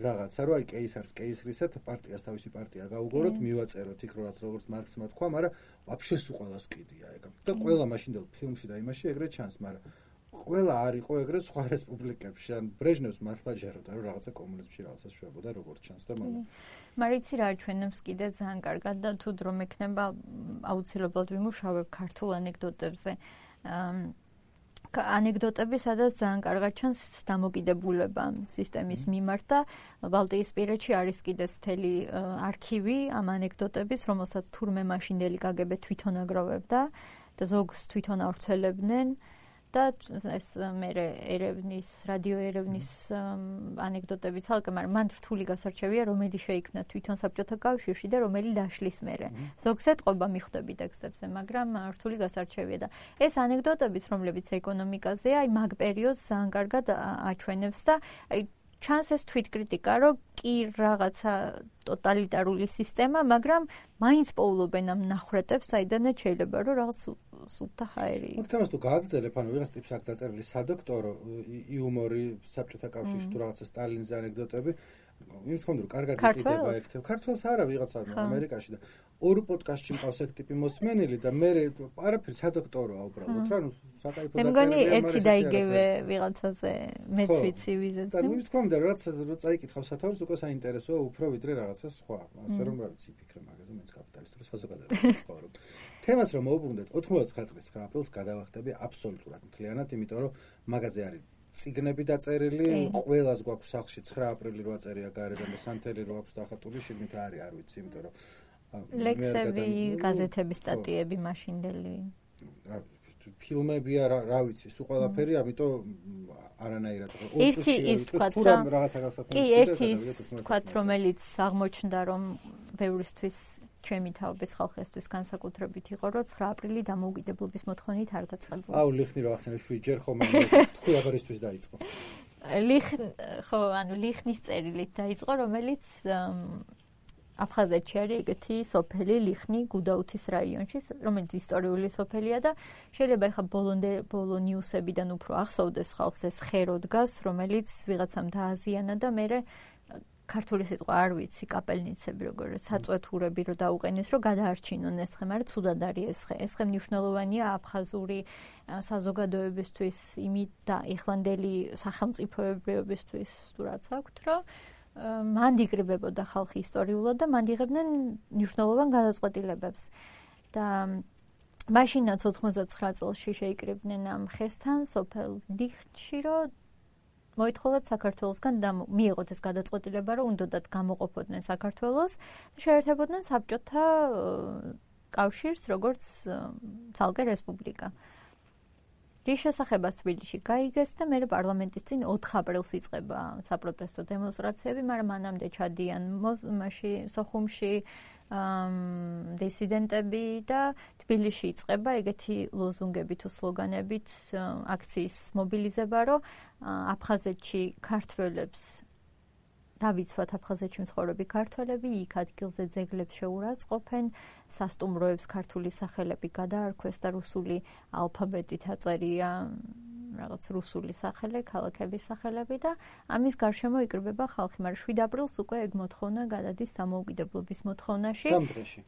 რაღაცა რომ აი კეისარს კეისრისად პარტიას თავისი პარტია გაუგოროთ მივაწეროთ იქ როგორც მარქსმა თქვა, მაგრამ ვაფშე სულ ყველას კიდია ეგ და ყველა მაშინდელ ფილმში და იმაში ეგრე ჩანს, მაგრამ ყველა არ იყო ეგრე სხვა რესპუბლიკებში, ან ბრეჟნევს მართლა ჯეროდა რომ რაღაცა კომუნიზმში რაღაცას შვებოდა როგორც ჩანს და მაგრამ მარიცი რა ჩვენებს კიდე ძალიან კარგად და თუ დრო მექნება აუცილებლად ვიმუშავებ ქართულ ანეკდოტებზე. ანეკდოტები, სადაც ძალიან კარგად ჩანს დამოკიდებულება სისტემის მიმართ და ბალტიისპირეთში არის კიდეც მთელი არქივი ამ ანეკდოტების, რომელსაც თურმე მაშინდელი კგბ თვითონ აგროვებდა და ზოგს თვითონ ავრცელებდნენ და ეს მერე ერევნის, რადიო ერევნის ანეკდოტები ცალკე, მაგრამ მან რთული გასარჩევია, რომელი შეიქმნა თვითონ საბჭოთა კავშირში და რომელი დაშლის მერე. ზოგს ეტყობა მიხვდები ტექსტებზე, მაგრამ რთული გასარჩევია და ეს ანეკდოტებიც, რომლებიც ეკონომიკაზეა, აი მაგ პერიოდს ძალიან კარგად აჩვენებს და აი ჩანს ეს თვითკრიტიკა, რომ კი რაღაცა ტოტალიტარული სისტემა, მაგრამ მაინც პოულობენ ამ ნახრეტებს, საიდანაც შეიძლება რომ რაღაც სუფთა ჰაერი. მოხდომას თუ გააგრძელებ, ანუ ვიღაც ტიპს აქ დაწერილი სადოქტორო იუმორი საბჭოთა კავშირში თუ რაღაცა სტალინზე ანეკდოტები, იმის ხომ რომ კარგად იყიდება ერთად. ქართველს არა ვიღაცა ამერიკაში და ორ პოდკასტში მყავს ეგ ტიპი მოსმენილი და მე არაფერი სადოქტოროა უბრალოდ რა, ნუ საკაიფო და მგონი ერთი დაიგევე ვიღაცაზე მეც ვიცი ვიზეც. და იმის ხომ და რაც წაიკითხავ სათავეს უკვე საინტერესოა უფრო ვიდრე რაღაცა სხვა. ასე რომ რა ვიცი ფიქრე მაგაზე მეც კაპიტალისტური საზოგადოებაში ვცხოვრობ. თემას რომ მოვუბრუნდეთ 99 წლის 9 აპრილს გადავახტები აბსოლუტურად მთლიანად, იმიტომ რომ მაგაზე არის ციგნები დაწერილი, ყველას გვაქვს სახლში 9 აპრილი რო აწერია გარედან და სანთელი რო აქვს დახატული, შიგნით არის, არ ვიცი, იმიტომ რომ ლექსები, გაზეთების სტატიები მაშინდელი. ფილმებია, რა ვიცი, სულ ყველაფერი, ამიტომ არანაირად. ერთი ის თქვა, კი, ერთი თქვა, რომელიც აღმოჩნდა, რომ ბევრისთვის ჩემი თაობის ხალხისთვის განსაკუთრებით იყო, რომ 9 აპრილი დამოუკიდებლობის მოთხოვნით არ დაწყებულა. აუ, ლიხნი რო ახსენე შვიჯერ ხომ თქვი აბარისთვის დაიწყო. ლიხნის წერილით დაიწყო, რომელიც აფხაზეთში არის ეგეთი სოფელი ლიხნი გუდაუთის რაიონში, რომელიც ისტორიული სოფელია და შეიძლება ეხა ბოლო ნიუსებიდან უფრო ახსოვდეს ხალხს ეს ხერო დგას, რომელიც ვიღაცამ დააზიანა და მერე ქართული სიტყვა არ ვიცი, კაპელნიცები როგორც საწვეთურები რო დაუყენეს, რომ გადაარჩინონ ეს ხე, მაგრამ ცუდად არის ეს ხე. ეს ხე მნიშვნელოვანია აფხაზური საზოგადოებისთვის, იმით და ეხლანდელი სახელმწიფოებრიობისთვის, თუ რაც აქვთ, რომ მან იგრებებოდა ხალხი ისტორიულად და მან იღებდნენ მნიშვნელოვან გადაწყვეტილებებს. და მაშინაც 99 წელში შეიკრიბნენ ამ ხესთან სოფელ ლიხნში, რომ მოითხოვათ საქართველოსგან მიიღოთ ეს გადაწყვეტილება, რომ უნდათ გამოყოფოდნენ საქართველოს და შეერთებოდნენ საბჭოთა კავშირს, როგორც ცალკე რესპუბლიკა. რის შესახებაც თბილისში გაიგეს და მე პარლამენტის წინ 4 აპრილს იწყება საპროტესტო დემონსტრაციები, მაგრამ მანამდე ჩადიან მასში სოხუმში დისიდენტები და თბილისში იწყება ეგეთი ლოზუნგები თუ სლოგანებით აქციის მობილიზება, რომ აფხაზეთში ქართველებს დავიცვათ აფხაზეთში მცხოვრები ქართველები, იქ ადგილზე ძეგლებს შეურაცხყოფენ, სასტუმროებს ქართული სახელები გადაარქვეს და რუსული ალფაბეტით აწერია რაღაც რუსული სახელი, ქალაქების სახელები და ამის გარშემო იკრიბება ხალხი, მაგრამ 7 აპრილს უკვე ეგ მოთხოვნა გადადის დამოუკიდებლობის მოთხოვნაში.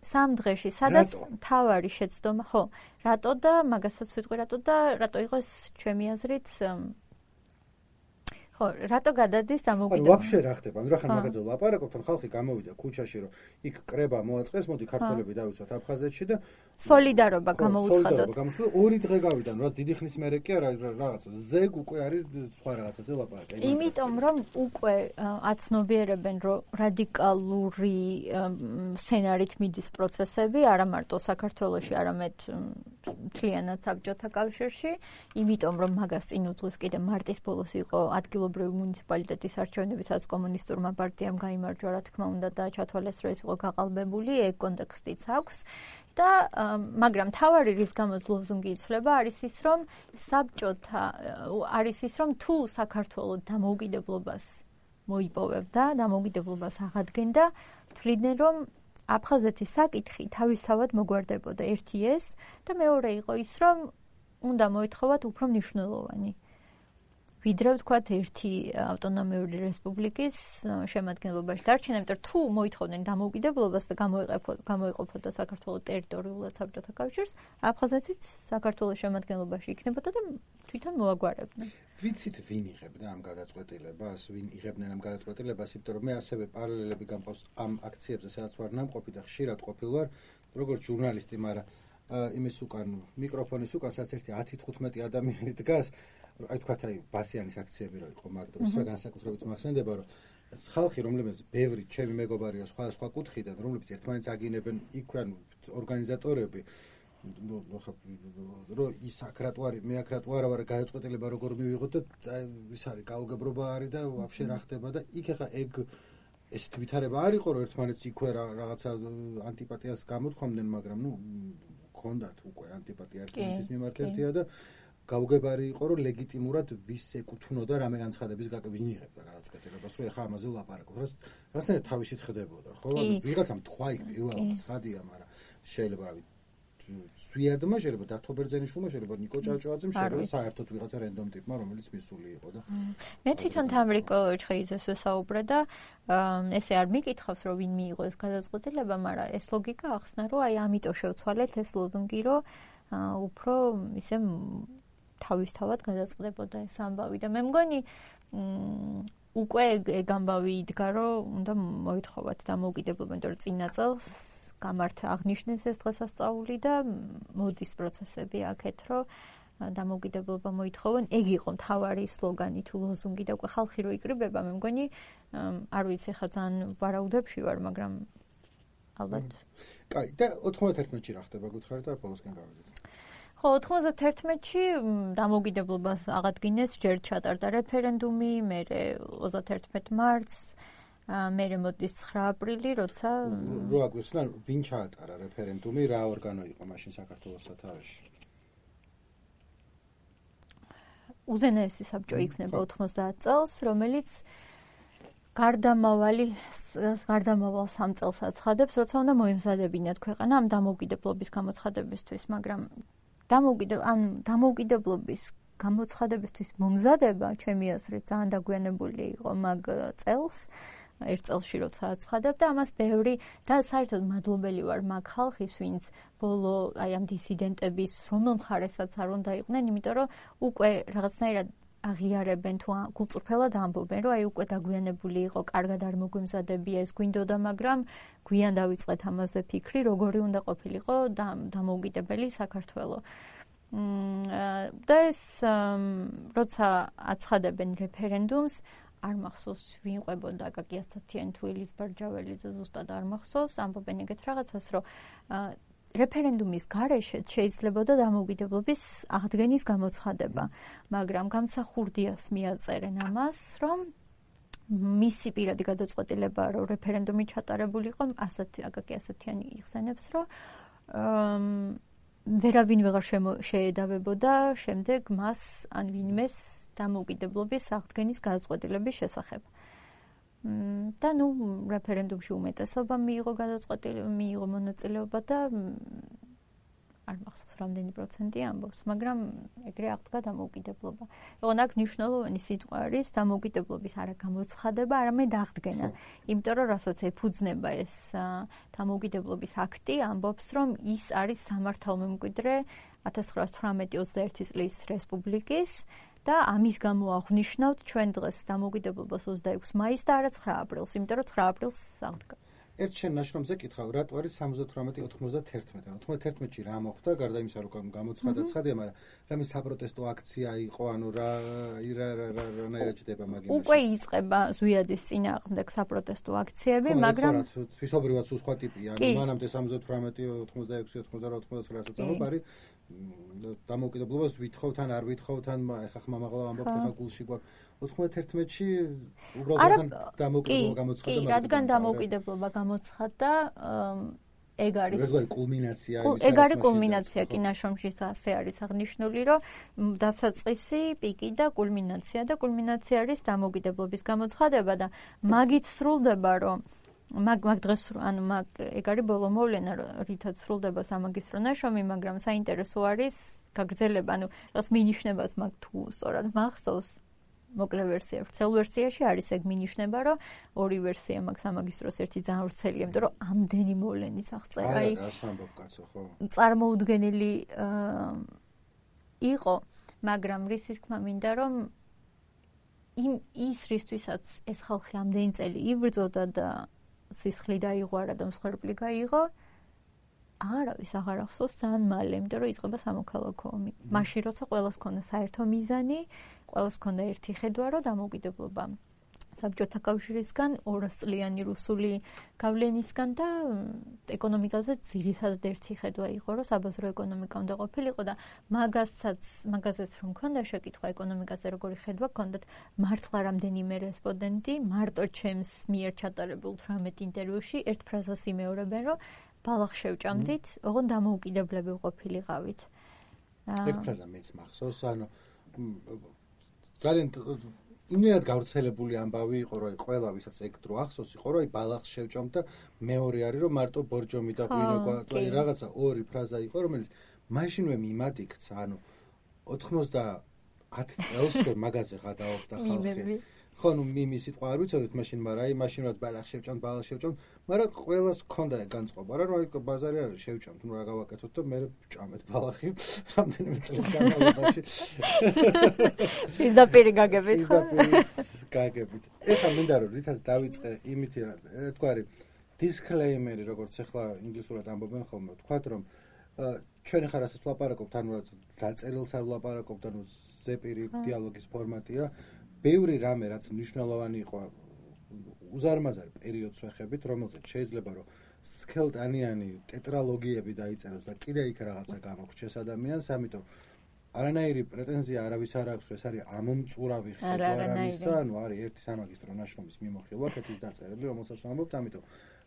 3 დღეში, სადაც თავარი შეცდომა, ხო, რატო და მაგასაც ვიტყვი რატო იყოს ჩემი აზრით ხო, რატო გადადის დამოუკიდებლობა? ანუ ვაფშე რა ხდება? ანუ რა ხან მაგაზე ვლაპარაკობთ, ან ხალხი გამოვიდა ქუჩაში, რომ იქ კრება მოაწყეს, მოდი ქართველები დავიცვათ აფხაზეთში და სოლიდარობა გამოვუცხადოთ. ორი დღე გავიდა, რა დიდი ხნის მერე კი არა რაღაცა ზეგ უკვე არის სხვა რაღაცაზე ლაპარაკი. იმიტომ რომ უკვე აცნობიერებენ, რომ რადიკალური სცენარით მიდის პროცესები, არა მარტო საქართველოში, არამედ მთლიანად საბჭოთა კავშირში, იმიტომ რომ მაგას წინ უძღვის კიდე მარტის ბოლოს იყო ადგილობრივი მუნიციპალიტეტის არჩევნები, სადაც კომუნისტურმა პარტიამ გაიმარჯვა, რა თქმა უნდა და ჩათვალეს, რომ ის იყო გაყალბებული, ეგ კონტექსტიც აქვს. და მაგრამ თავარი რის გამოც ლოზუნგი იცვლება არის ის რომ საბჭოთა არის ის რომ თუ საქართველოს დამოუკიდებლობას მოიპოვებდა, დამოუკიდებლობას აღადგენდა, თვლიდნენ რომ აფხაზეთის საკითხი თავისთავად მოგვარდებოდა ერთი ეს და მეორე იყო ის რომ უნდა მოითხოვათ უფრო მნიშვნელოვანი ვიდრე ვთქვათ ერთი ავტონომიური რესპუბლიკის შემადგენლობაში დარჩენა, იმიტომ თუ მოითხოვდნენ დამოუკიდებლობას და გამოიყოფოდა საქართველოს ტერიტორიულად საბჭოთა კავშირს, აფხაზეთიც საქართველოს შემადგენლობაში იქნებოდა და თვითონ მოაგვარებდნენ. ვიცით ვინ იღებდა ამ გადაწყვეტილებას, ვინ იღებდნენ ამ გადაწყვეტილებას, იმიტომ რომ მე ასევე პარალელები გამყავს ამ აქციებზე, სადაც ვარ ნამყოფი და ხშირად ყოფილ ვარ, როგორც ჟურნალისტი, მაგრამ იმის უკან მიკროფონის უკან სადაც ერთი 10-15 ადამიანი დგას აი თქვათ აი ბასიანის აქციები რო იყო მაგ დროს რა განსაკუთრებით მახსენდება რომ ხალხი რომლებიც ბევრი ჩემი მეგობარია სხვა კუთხიდან რომლებიც ერთმანეთს აგინებენ იქვე ორგანიზატორები რო ის აკრატვარი მე აკრატვარა ვარ გადაწყვეტილება როგორ მივიღოთ და ის არის გაუგებრობა არის და ვაფშე რა ხდება და იქ ახლა ეგ ესეთი ვითარება არ იყო რომ ერთმანეთს იქვე რაღაცა ანტიპატიას გამოთქვამდნენ მაგრამ ნუ გქონდათ უკვე ანტიპატია ერთმანეთის მიმართ ერთია და გაუგებარი იყო რომ ლეგიტიმურად ვის ეკუთვნოდა რამე განცხადების გაკეთება იღებდა გადაწყვეტილებას რომ ეხა ამაზე ვლაპარაკობ რასაერთოდ თავისით ხდებოდა ხო ვიღაცამ თქვა იქ პირველად ცხადია მაგრამ შეიძლება რავი სვიადმა შეიძლება დათო ბერძენიშვილმა შეიძლება ნიკო ჭავჭავაძემ შეიძლება საერთოდ ვიღაცა რენდომ ტიპმა რომელიც მისული იყო და მე თვითონ თამრიკო ჩხეიძეს ვესაუბრე და ესე არ მიკითხავს რომ ვინ მიიღო ეს გადაწყვეტილება მაგრამ ეს ლოგიკა ახსნა რომ აი ამიტომ შევცვალეთ ეს ლოზუნგი რომ უფრო ისე თავისთავად გადაწყდებოდა ეს ამბავი და მე მგონი უკვე ეგ ამბავი იდგა რომ უნდა მოითხოვათ დამოუკიდებლობა იმიტომ რომ წინა წელს გამართა აღნიშნეს ეს დღესასწაული და მოდის პროცესები აქეთ რომ დამოუკიდებლობა მოითხოვენ ეგ იყო მთავარი სლოგანი თუ ლოზუნგი და უკვე ხალხი რო იკრიბება მე მგონი არ ვიცი ხა ძალიან ვარაუდებში ვარ მაგრამ ალბათ კაი და 91-ში რა ხდება გითხარით და ბოლოსკენ გავიდეთ ხო 91-ში დამოუკიდებლობას აღადგინეს ჯერ ჩატარდა რეფერენდუმი მერე 31 მარტს მერე მოდის 9 აპრილი როცა რო აგვიხსნა ვინ ჩაატარა რეფერენდუმი რა ორგანო იყო მაშინ საქართველოს სათავეში უზენაესი საბჭო იქნება 90 წელს რომელიც გარდამავალ 3 წელს აცხადებს როცა უნდა მოემზადებინათ ქვეყანა ამ დამოუკიდებლობის გამოცხადებისთვის მაგრამ დამოუკიდებლობის გამოცხადებისთვის მომზადება ჩემი აზრით ძალიან დაგვიანებული იყო მაგ წელს ერთ წელში როცა აცხადებდა ამას ბევრი და საერთოდ მადლობელი ვარ მაგ ხალხის ვინც ბოლო აი ამ დისიდენტების რომელ მხარესაც არ უნდა იყვნენ იმიტომ რომ უკვე რაღაცნაირად აღიარებენ თუ გულწრფელად ამბობენ რომ აი უკვე დაგვიანებული იყო კარგად არ მოგვემზადებია ეს გვინდოდა მაგრამ გვიან დავიწყეთ ამაზე ფიქრი როგორი უნდა ყოფილიყო დამოუკიდებელი საქართველო და ეს როცა აცხადებენ რეფერენდუმს არ მახსოვს ვინ ყვებოდა აკაკი ასათიანი თუ ელიზბარ ჯაველიძე ზუსტად არ მახსოვს ამბობენ ეგეთ რაღაცას რომ რეფერენდუმის გარეშეც შეიძლებოდა დამოუკიდებლობის აღდგენის გამოცხადება, მაგრამ გამსახურდიას მიაწერენ ამას, რომ მისი პირადი გადაწყვეტილება, რომ რეფერენდუმი ჩატარებულიყო, ასეთიანი იხსენებს, რომ ვერავინ ვეღარ შეედავებოდა შემდეგ მას ან ვინმეს დამოუკიდებლობის აღდგენის გადაწყვეტილების შესახებ. და რეფერენდუმში უმეტესობა მიიღო მონაწილეობა და არ მახსოვს რამდენი პროცენტი ამბობს, მაგრამ ეგრე აღდგა დამოუკიდებლობა. ოღონდ აქ მნიშვნელოვანი სიტყვა არის დამოუკიდებლობის არა გამოცხადება, არამედ აღდგენა. იმიტომ რომ რასაც ეფუძნება ეს დამოუკიდებლობის აქტი, ამბობს, რომ ის არის სამართალმემკვიდრე 1918-21 წლის რესპუბლიკის და ამის გამო აღნიშნავთ ჩვენ დღეს დამოუკიდებლობას 26 მაისს და არა 9 აპრილს, იმიტომ რომ 9 აპრილს აღდგა. ერთ შენ ნაშრომზე კითხავ, რატო არის 78-91? 91-ში რა მოხდა, გარდა იმისა, რომ გამოცხადა ცხადია, მაგრამ რამე საპროტესტო აქცია იყო, ანუ რანაირად ჩდება მაგ იმაში? უკვე იწყება ზვიადის წინააღმდეგ საპროტესტო აქციები, მაგრამ თვისობრივად სხვა ტიპია, ანუ მანამდე 78-86-89-რასაც ამბობ არის დამოუკიდებლობას ვითხოვთ ან არ ვითხოვთ, ან ეხა ხმამაღლა ამბობთ, ეხა გულში გვაქვს 91-ში უბრალოდ დამოუკიდებლობა გამოცხადდა. კი, რადგან დამოუკიდებლობა გამოცხადდა, ეგ არის კულმინაცია. ეგ არის კულმინაცია, კი ნაშრომშიც ასე არის აღნიშნული, რომ დასაწყისი, პიკი და კულმინაცია არის დამოუკიდებლობის გამოცხადება და მაგით სრულდება, რომ მაგ დღეს ეგ არის ბოლო მოვლენა, რითაც სრულდება სამაგისტრო ნაშრომი, მაგრამ საინტერესო არის გაგრძელება, რაღაც მინიშნებას მაგ თუ სწორად მახსოვს. მოკლე ვერსია, ვრცელ ვერსიაში არის ეგ მინიშნება, რომ ორი ვერსია მაქვს სამაგისტროს, ერთი ძალიან ვრცელია, იმიტომ რომ ამდენი მოვლენის აღწერა წარმოუდგენელი იყო, მაგრამ რისის თქმა მინდა, რომ ის რისთვისაც ეს ხალხი ამდენი წელი იბრძოდა და სისხლი დაიღო და მსხვერპლი გაიღო, არავის აღარ ახსოვს ძალიან მალე, იმიტომ რომ იწყება სამოქალაქო ომი. მაშინ როცა ყველას ჰქონდა საერთო მიზანი, ყველას ჰქონდა ერთი ხედვა, რომ დამოუკიდებლობა საბჭოთა კავშირისგან, 200 წლიანი რუსული გავლენისგან და ეკონომიკაზე ძირითადად ერთი ხედვა იყო, რომ საბაზრო ეკონომიკა უნდა ყოფილიყო და მაგაზეც რომ ჰქონდა შეკითხვა ეკონომიკაზე როგორი ხედვა ჰქონდათ, მართლა რამდენიმე რესპონდენტი მარტო ჩემს მიერ ჩატარებულ 18 ინტერვიუში ერთ ფრაზას იმეორებენ, რომ ბალახ შევჭამდით, ოღონდ დამოუკიდებლები ვყოფილიყავით. ეგ ფრაზა მეც მახსოვს, ანუ ძალიან იმენად გავრცელებული ამბავი იყო, რომ ყველა ვისაც ეგ დრო ახსოვს, იყო, რომ ბალახს შევჭამთ და მეორე არის, რომ მარტო ბორჯომი და ღვინო, რაღაცა ორი ფრაზა იყო, რომელიც მაშინვე მიმად იქცა, ანუ 90 წელს მაგაზე გადააოხდა ხალხი. ხო, მიმი სიტყვა არ ვიცოდეთ მაშინ, მაგრამ მაშინ რაც ბალახს შევჭამთ, მაგრამ ყველას ჰქონდა ეგ განწყობა, რომ ბაზარი არის შევჭამთ, რა გავაკეთოთ და მე ვჭამეთ ბალახი რამდენიმე წელს განმავლობაში. პირდაპირ გაგებით, ხო? გაგებით. ეხლა მინდა რომ რითაც დავიწყე იმით თქვარი disclaimer-ი, როგორც ახლა ინგლისურად ამბობენ ხოლმე, ვთქვათ რომ ჩვენ ახლა რასაც ვლაპარაკობთ, ანუ რაც დაწერილს არ ვლაპარაკობთ, ანუ ზეპირი დიალოგის ფორმატია. ბევრი რამე რაც მნიშვნელოვანი იყო უზარმაზარ პერიოდს ვეხებით, რომელზეც შეიძლება რომ სქელტანიანი ტეტრალოგიები დაიწეროს და კიდე იქ რაღაცა გამოგრჩეს ადამიანს, ამიტომ არანაირი პრეტენზია არავის არ აქვს, ეს არის ამომწურავი ხედვა რამისა, ანუ არის ერთი სამაგისტრო ნაშრომის მიმოხილვა, კეთის დაწერილი, რომელსაც ვამბობთ, ამიტომ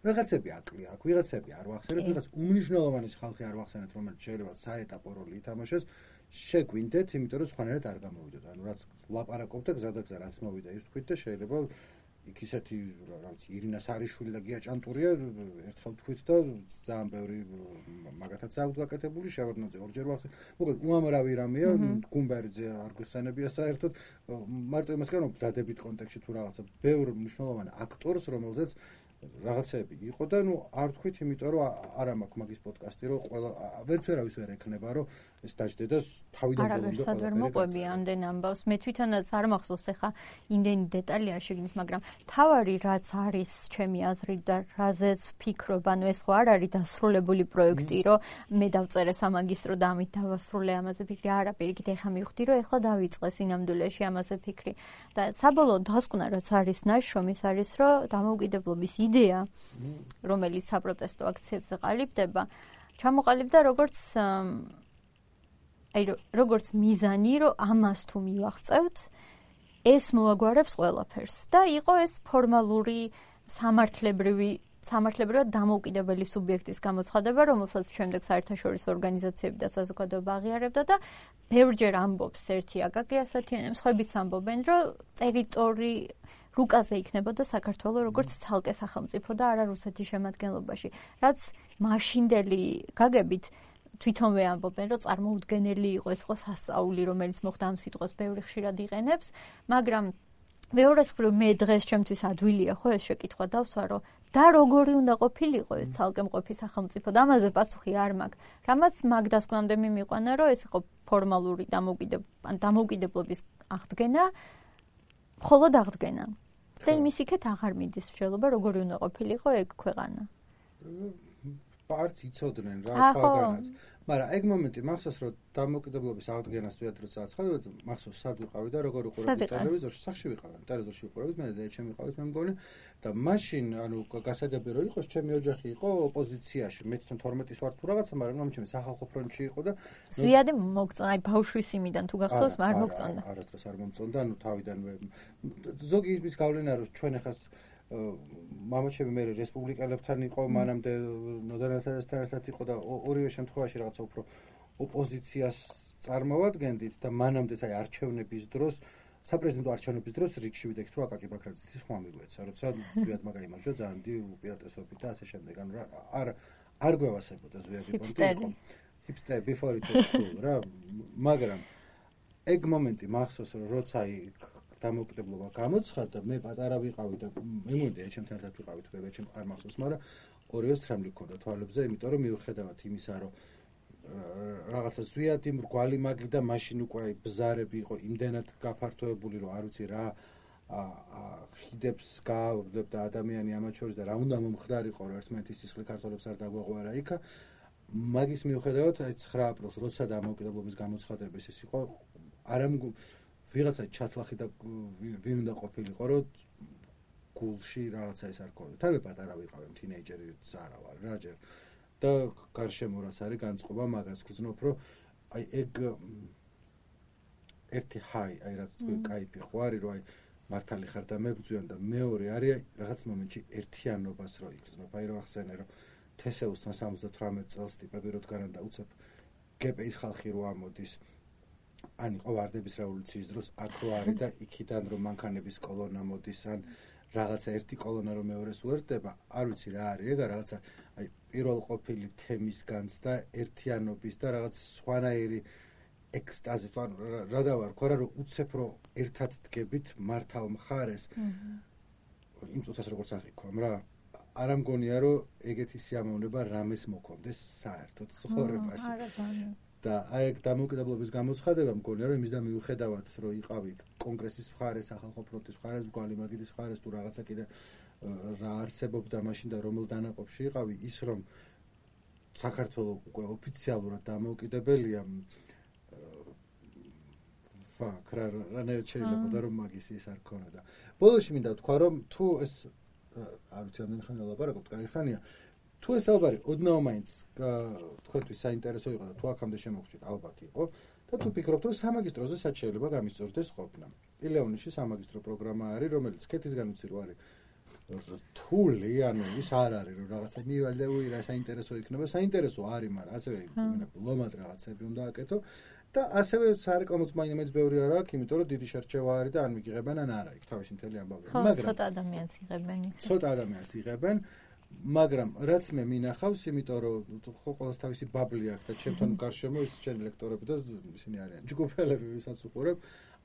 რაღაცები აკლია, აქ ვიღაცები არ ვახსენებ, ვიღაც უმნიშვნელოვანი ხალხი არ ვახსენეთ, რომელიც შეიძლება საეტაპო როლი ითამაშოს. შეგვინდეთ, იმიტომ რომ სხვანაირად არ გამოვიდოთ. ანუ რაც ლაპარაკობთ და გზადაგზა რაც მოვიდა ის თქვით და შეიძლება იქ ისეთი რაღაც ირინა სარიშვილი და გია ჭანტურია ერთხელ თქვით და ძალიან ბევრი მაგათაც აქვს გაკეთებული, შევარდნაძე ორჯერ ვახსენე. მოკლედ უამრავი რამეა, გუმბერიძე არ გვიხსენებია საერთოდ. მარტო იმას κάνω დადებით კონტექსტში თუ რაღაცა ბევრ მნიშვნელოვან აქტორს, რომელზეც რაღაცები იყო და არ თქვით, იმიტომ რომ არ მაქვს მაგის პოდკასტი, რომ ყველა ვერც ვერ ექნება, რომ ეს დაждდე და თავიდან ბოლომდე ყველა ვერ მოყვები ამდენ ამბავს. მე თვითონაც არ მახსოვს ახლა იმდენი დეტალია შეგნის, მაგრამ თავარი რაც არის ჩემი აზრით და რაზეც ვფიქრობ, ანუ ეს ხო არ არის დასრულებული პროექტი, რომ მე დავწერე სამაგისტრო და ამით დავასრულე ამაზე ფიქრი. არა, პირიქით ეხლა მივხვდი, რომ ეხლა დავიწყე სინამდვილეში ამაზე ფიქრი. და საბოლოო დასკვნა რაც არის ნაშრომის არის, რომ დამოუკიდებლობის იდეა, რომელიც საპროტესტო აქციებზე ყალიბდება, ჩამოყალიბდა როგორც მიზანი, რომ ამას თუ მივაღწევთ, ეს მოაგვარებს ყველაფერს და იყო ეს ფორმალური სამართლებრივად დამოუკიდებელი სუბიექტის გამოცხადება, რომელსაც შემდეგ საერთაშორისო ორგანიზაციები და საზოგადოება აღიარებდა და ბევრჯერ ამბობს ერთი აკაკი ასათიანემ, სხვაებიც ამბობენ, რომ რუკაზე იქნებოდა საქართველო როგორც ცალკე სახელმწიფო და არა რუსეთის შემადგენლობაში, რაც მაშინდელი გაგებით თვითონვე ამბობენ, რომ წარმოუდგენელი იყო ეს იყო სასწაული, რომელიც მოხდა ამ სიტყვას ბევრი ხშირად იყენებს, მაგრამ მეორეს მხრივ მე დღეს ჩემთვის ადვილია ხო ეს შეკითხვა დავსვა, რომ და როგორი უნდა ყოფილიყო ეს ცალკე მყოფი სახელმწიფო და ამაზე პასუხი არ მაქვს. რამაც მაგ დასკვნამდე მიიყვანა, რომ ეს იყო ფორმალური დამოუკიდებლობის აღდგენა, მხოლოდ აღდგენა. და იმის იქეთ აღარ მიდის მსჯელობა, როგორი უნდა ყოფილიყო ეგ ქვეყანა. პარტს იცოდნენ რა ქვეყანაც. მაგრამ ეგ მომენტი მახსოვს, რომ დამოუკიდებლობის აღდგენას ვიად როცა აცხადოთ, მახსოვს სად ვიყავი და როგორ უყურებდი ტელევიზორში, სახში ვიყავი, ტელევიზორში უყურებდი, მე და ჩემი ყავით მე მგონი და მაშინ გასაგები რომ იყოს, ჩემი ოჯახი იყო ოპოზიციაში, მე თვითონ 12-ის ვარ თუ რაღაცა, მაგრამ ჩემი სახალხო ფრონტში იყო და ზვიადე მოგწონდა, აი ბავშვის იმიდან თუ გახსოვს, არ მოგწონდა. არასდროს არ მომწონდა, თავიდანვე ზოგი ის გავლინა რომ ჩვენ ახაც მამაჩემი მე რესპუბლიკელებთან იყო, მანამდე ნოდარათასთან ერთად იყო და ორივე შემთხვევაში რაღაცა უფრო ოპოზიციას წარმოვადგენდით და მანამდეც აი არჩევნების დროს, საპრეზიდენტო არჩევნების დროს რიგში ვიდექით, რომ აკაკი ბაქრაძის ხმა მიგვეცა, როცა ზვიად მაგაიმარჯვა ძალიან დიდი უპირატესობით და ასე შემდეგ. ანუ არ გვევასებოდა ზვიადი პონტი. Hipster before it was cool რა, მაგრამ ეგ მომენტი მახსოვს, რომ როცა აი დამოუკიდებლობა გამოცხადდა, მე პატარა ვიყავი და მე მომდია ჩემთან ერთად ვიყავით, მე ჩემ არ მახსოვს, მაგრამ ორივე სრემლი გქონდა თვალებზე, იმიტომ რომ მიუხედავად იმისა, რომ რაღაცა ზვიადი მრგვალი მაგი და მაშინ უკვე აი ბზარები იყო იმდენად გაფართოებული, რომ არ ვიცი რა ხიდებს გააღვებდა ადამიანი ამათ შორის და რა უნდა მომხდარიყო, რომ ერთმანეთის სისხლი ქართველებს არ დაგვეღვარა იქა. მაგის მიუხედავად აი 9 აპრილს როცა დამოუკიდებლობის გამოცხადების ის იყო, ვიღაცა ჩათლახი და ვინ უნდა ყოფილიყო, რომ გულში რაღაცა ეს არ ქონდა. თან მე პატარა ვიყავი, თინეიჯერი ზარა ვარ რა ჯერ. და გარშემო რაც არის განწყობა მაგას გძნობ, რომ აი ეგ ერთი ჰაი, აი რაც кайფი ხო არის, რომ აი მართალი ხარ და მებძვიან და მეორე არის რაღაც მომენტში ერთიანობას რო იგრძნობ. აი რომ ახსენე, რომ თესეუსთან 78 წელს ტიპები რო დგანან და უცებ გპ-ის ხალხი რო ამოდის. ან იყო ვარდების რევოლუციის დროს აქ რო არის და იქიდან რომ მანქანების კოლონა მოდის, ან რაღაცა ერთი კოლონა რომ მეორეს უერთდება, არ ვიცი რა არის ეგ, რაღაცა აი პირველ ყოფილი თემის განცდა, ერთიანობის და რაღაც სხვანაირი ექსტაზის, რა დავარქვა რა, რომ უცებ რო ერთად დგებით მართალ მხარეს. იმ წუთას როგორც აღიქვამ რა, არ ამგონია რომ ეგეთი სიამოვნება რამეს მოქონდეს საერთოდ ცხოვრებაში. და აი დამოუკიდებლობის გამოცხადება მგონია რომ იმისდა მიუხედავად რომ იყავი კონგრესის მხარეს, სახალხო ფრონტის მხარეს, მრგვალი მაგიდის მხარეს თუ რაღაცა კიდე რა არსებობდა მაშინ და რომელ დანაყოფში იყავი, ის რომ საქართველოს უკვე ოფიციალურად დამოუკიდებელია, ფაქ რა შეიძლება რომ მაგის ის არ ქონოდა. ბოლოში მინდა ვთქვა რომ თუ ეს არ ვიცი ამდენ ხანი ლაპარაკობთ, კაი ხანია. თუ ეს საუბარი ოდნავ მაინც თქვენთვის საინტერესო იყო და თუ აქამდე შემოგჭირთ, ალბათ იყო და თუ ფიქრობთ რომ სამაგისტროზე სად შეიძლება გამისწორდეს ყოფნა. პილეონიში სამაგისტრო პროგრამა არის, რომელიც ქეთისგან ვიცი რომ არის რთული, ანუ ის არ არის რომ რაღაცა მივალ და უირა საინტერესო იქნება, საინტერესო არის, მაგრამ ასევე ბლომად რაღაცები უნდა აკეთო და ასევე სარეკლამოც მაინც ბევრი არ აქვს, იმიტომ რომ დიდი შერჩევა არის და ან მიგიღებენ ან არა, იქ თავისი მთელი ამბავია. მაგრამ ცოტა ადამიანს იღებენ. ცოტა ადამიანს იღებენ. მაგრამ რაც მე მინახავს, იმიტომ რომ ხო ყოველს თავისი ბაბლი აქვს და ჩემთან გარშემო ის ჩემი ლექტორები და ისინი არიან ჯგუფელები, ვისაც უყურებ,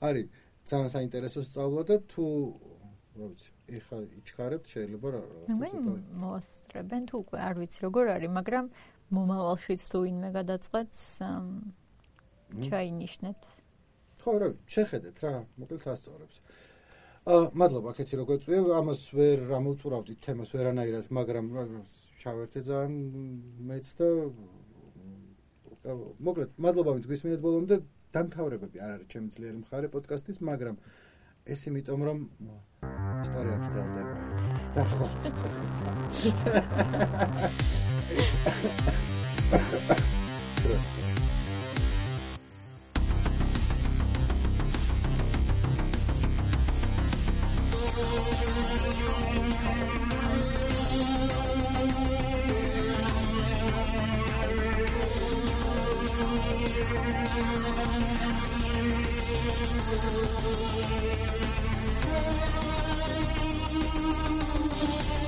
არის ძალიან საინტერესო სწავლა და თუ რა ვიცი, ეხა იჩქარებთ შეიძლება რაღაცა მოასწრებენ თუ უკვე არ ვიცი როგორ არის, მაგრამ მომავალშიც თუ ვინმე გადაწყვეტს ჩაინიშნეთ. ხო, რა ვიცი, შეხედეთ რა, მოკლედ ასწორებს. მადლობა კეთი როგორ წვია, ამას ვერ ამოვწურავდით თემას ვერანაირად, მაგრამ ჩავერთე ძალიან მეც და მოკლედ მადლობა ვინც გვისმინეთ ბოლომდე, დამთავრებები არ არის ჩემი ძლიერი მხარე პოდკასტის, მაგრამ ეს იმიტომ რომ ისტორია გრძელდება. და Thank you.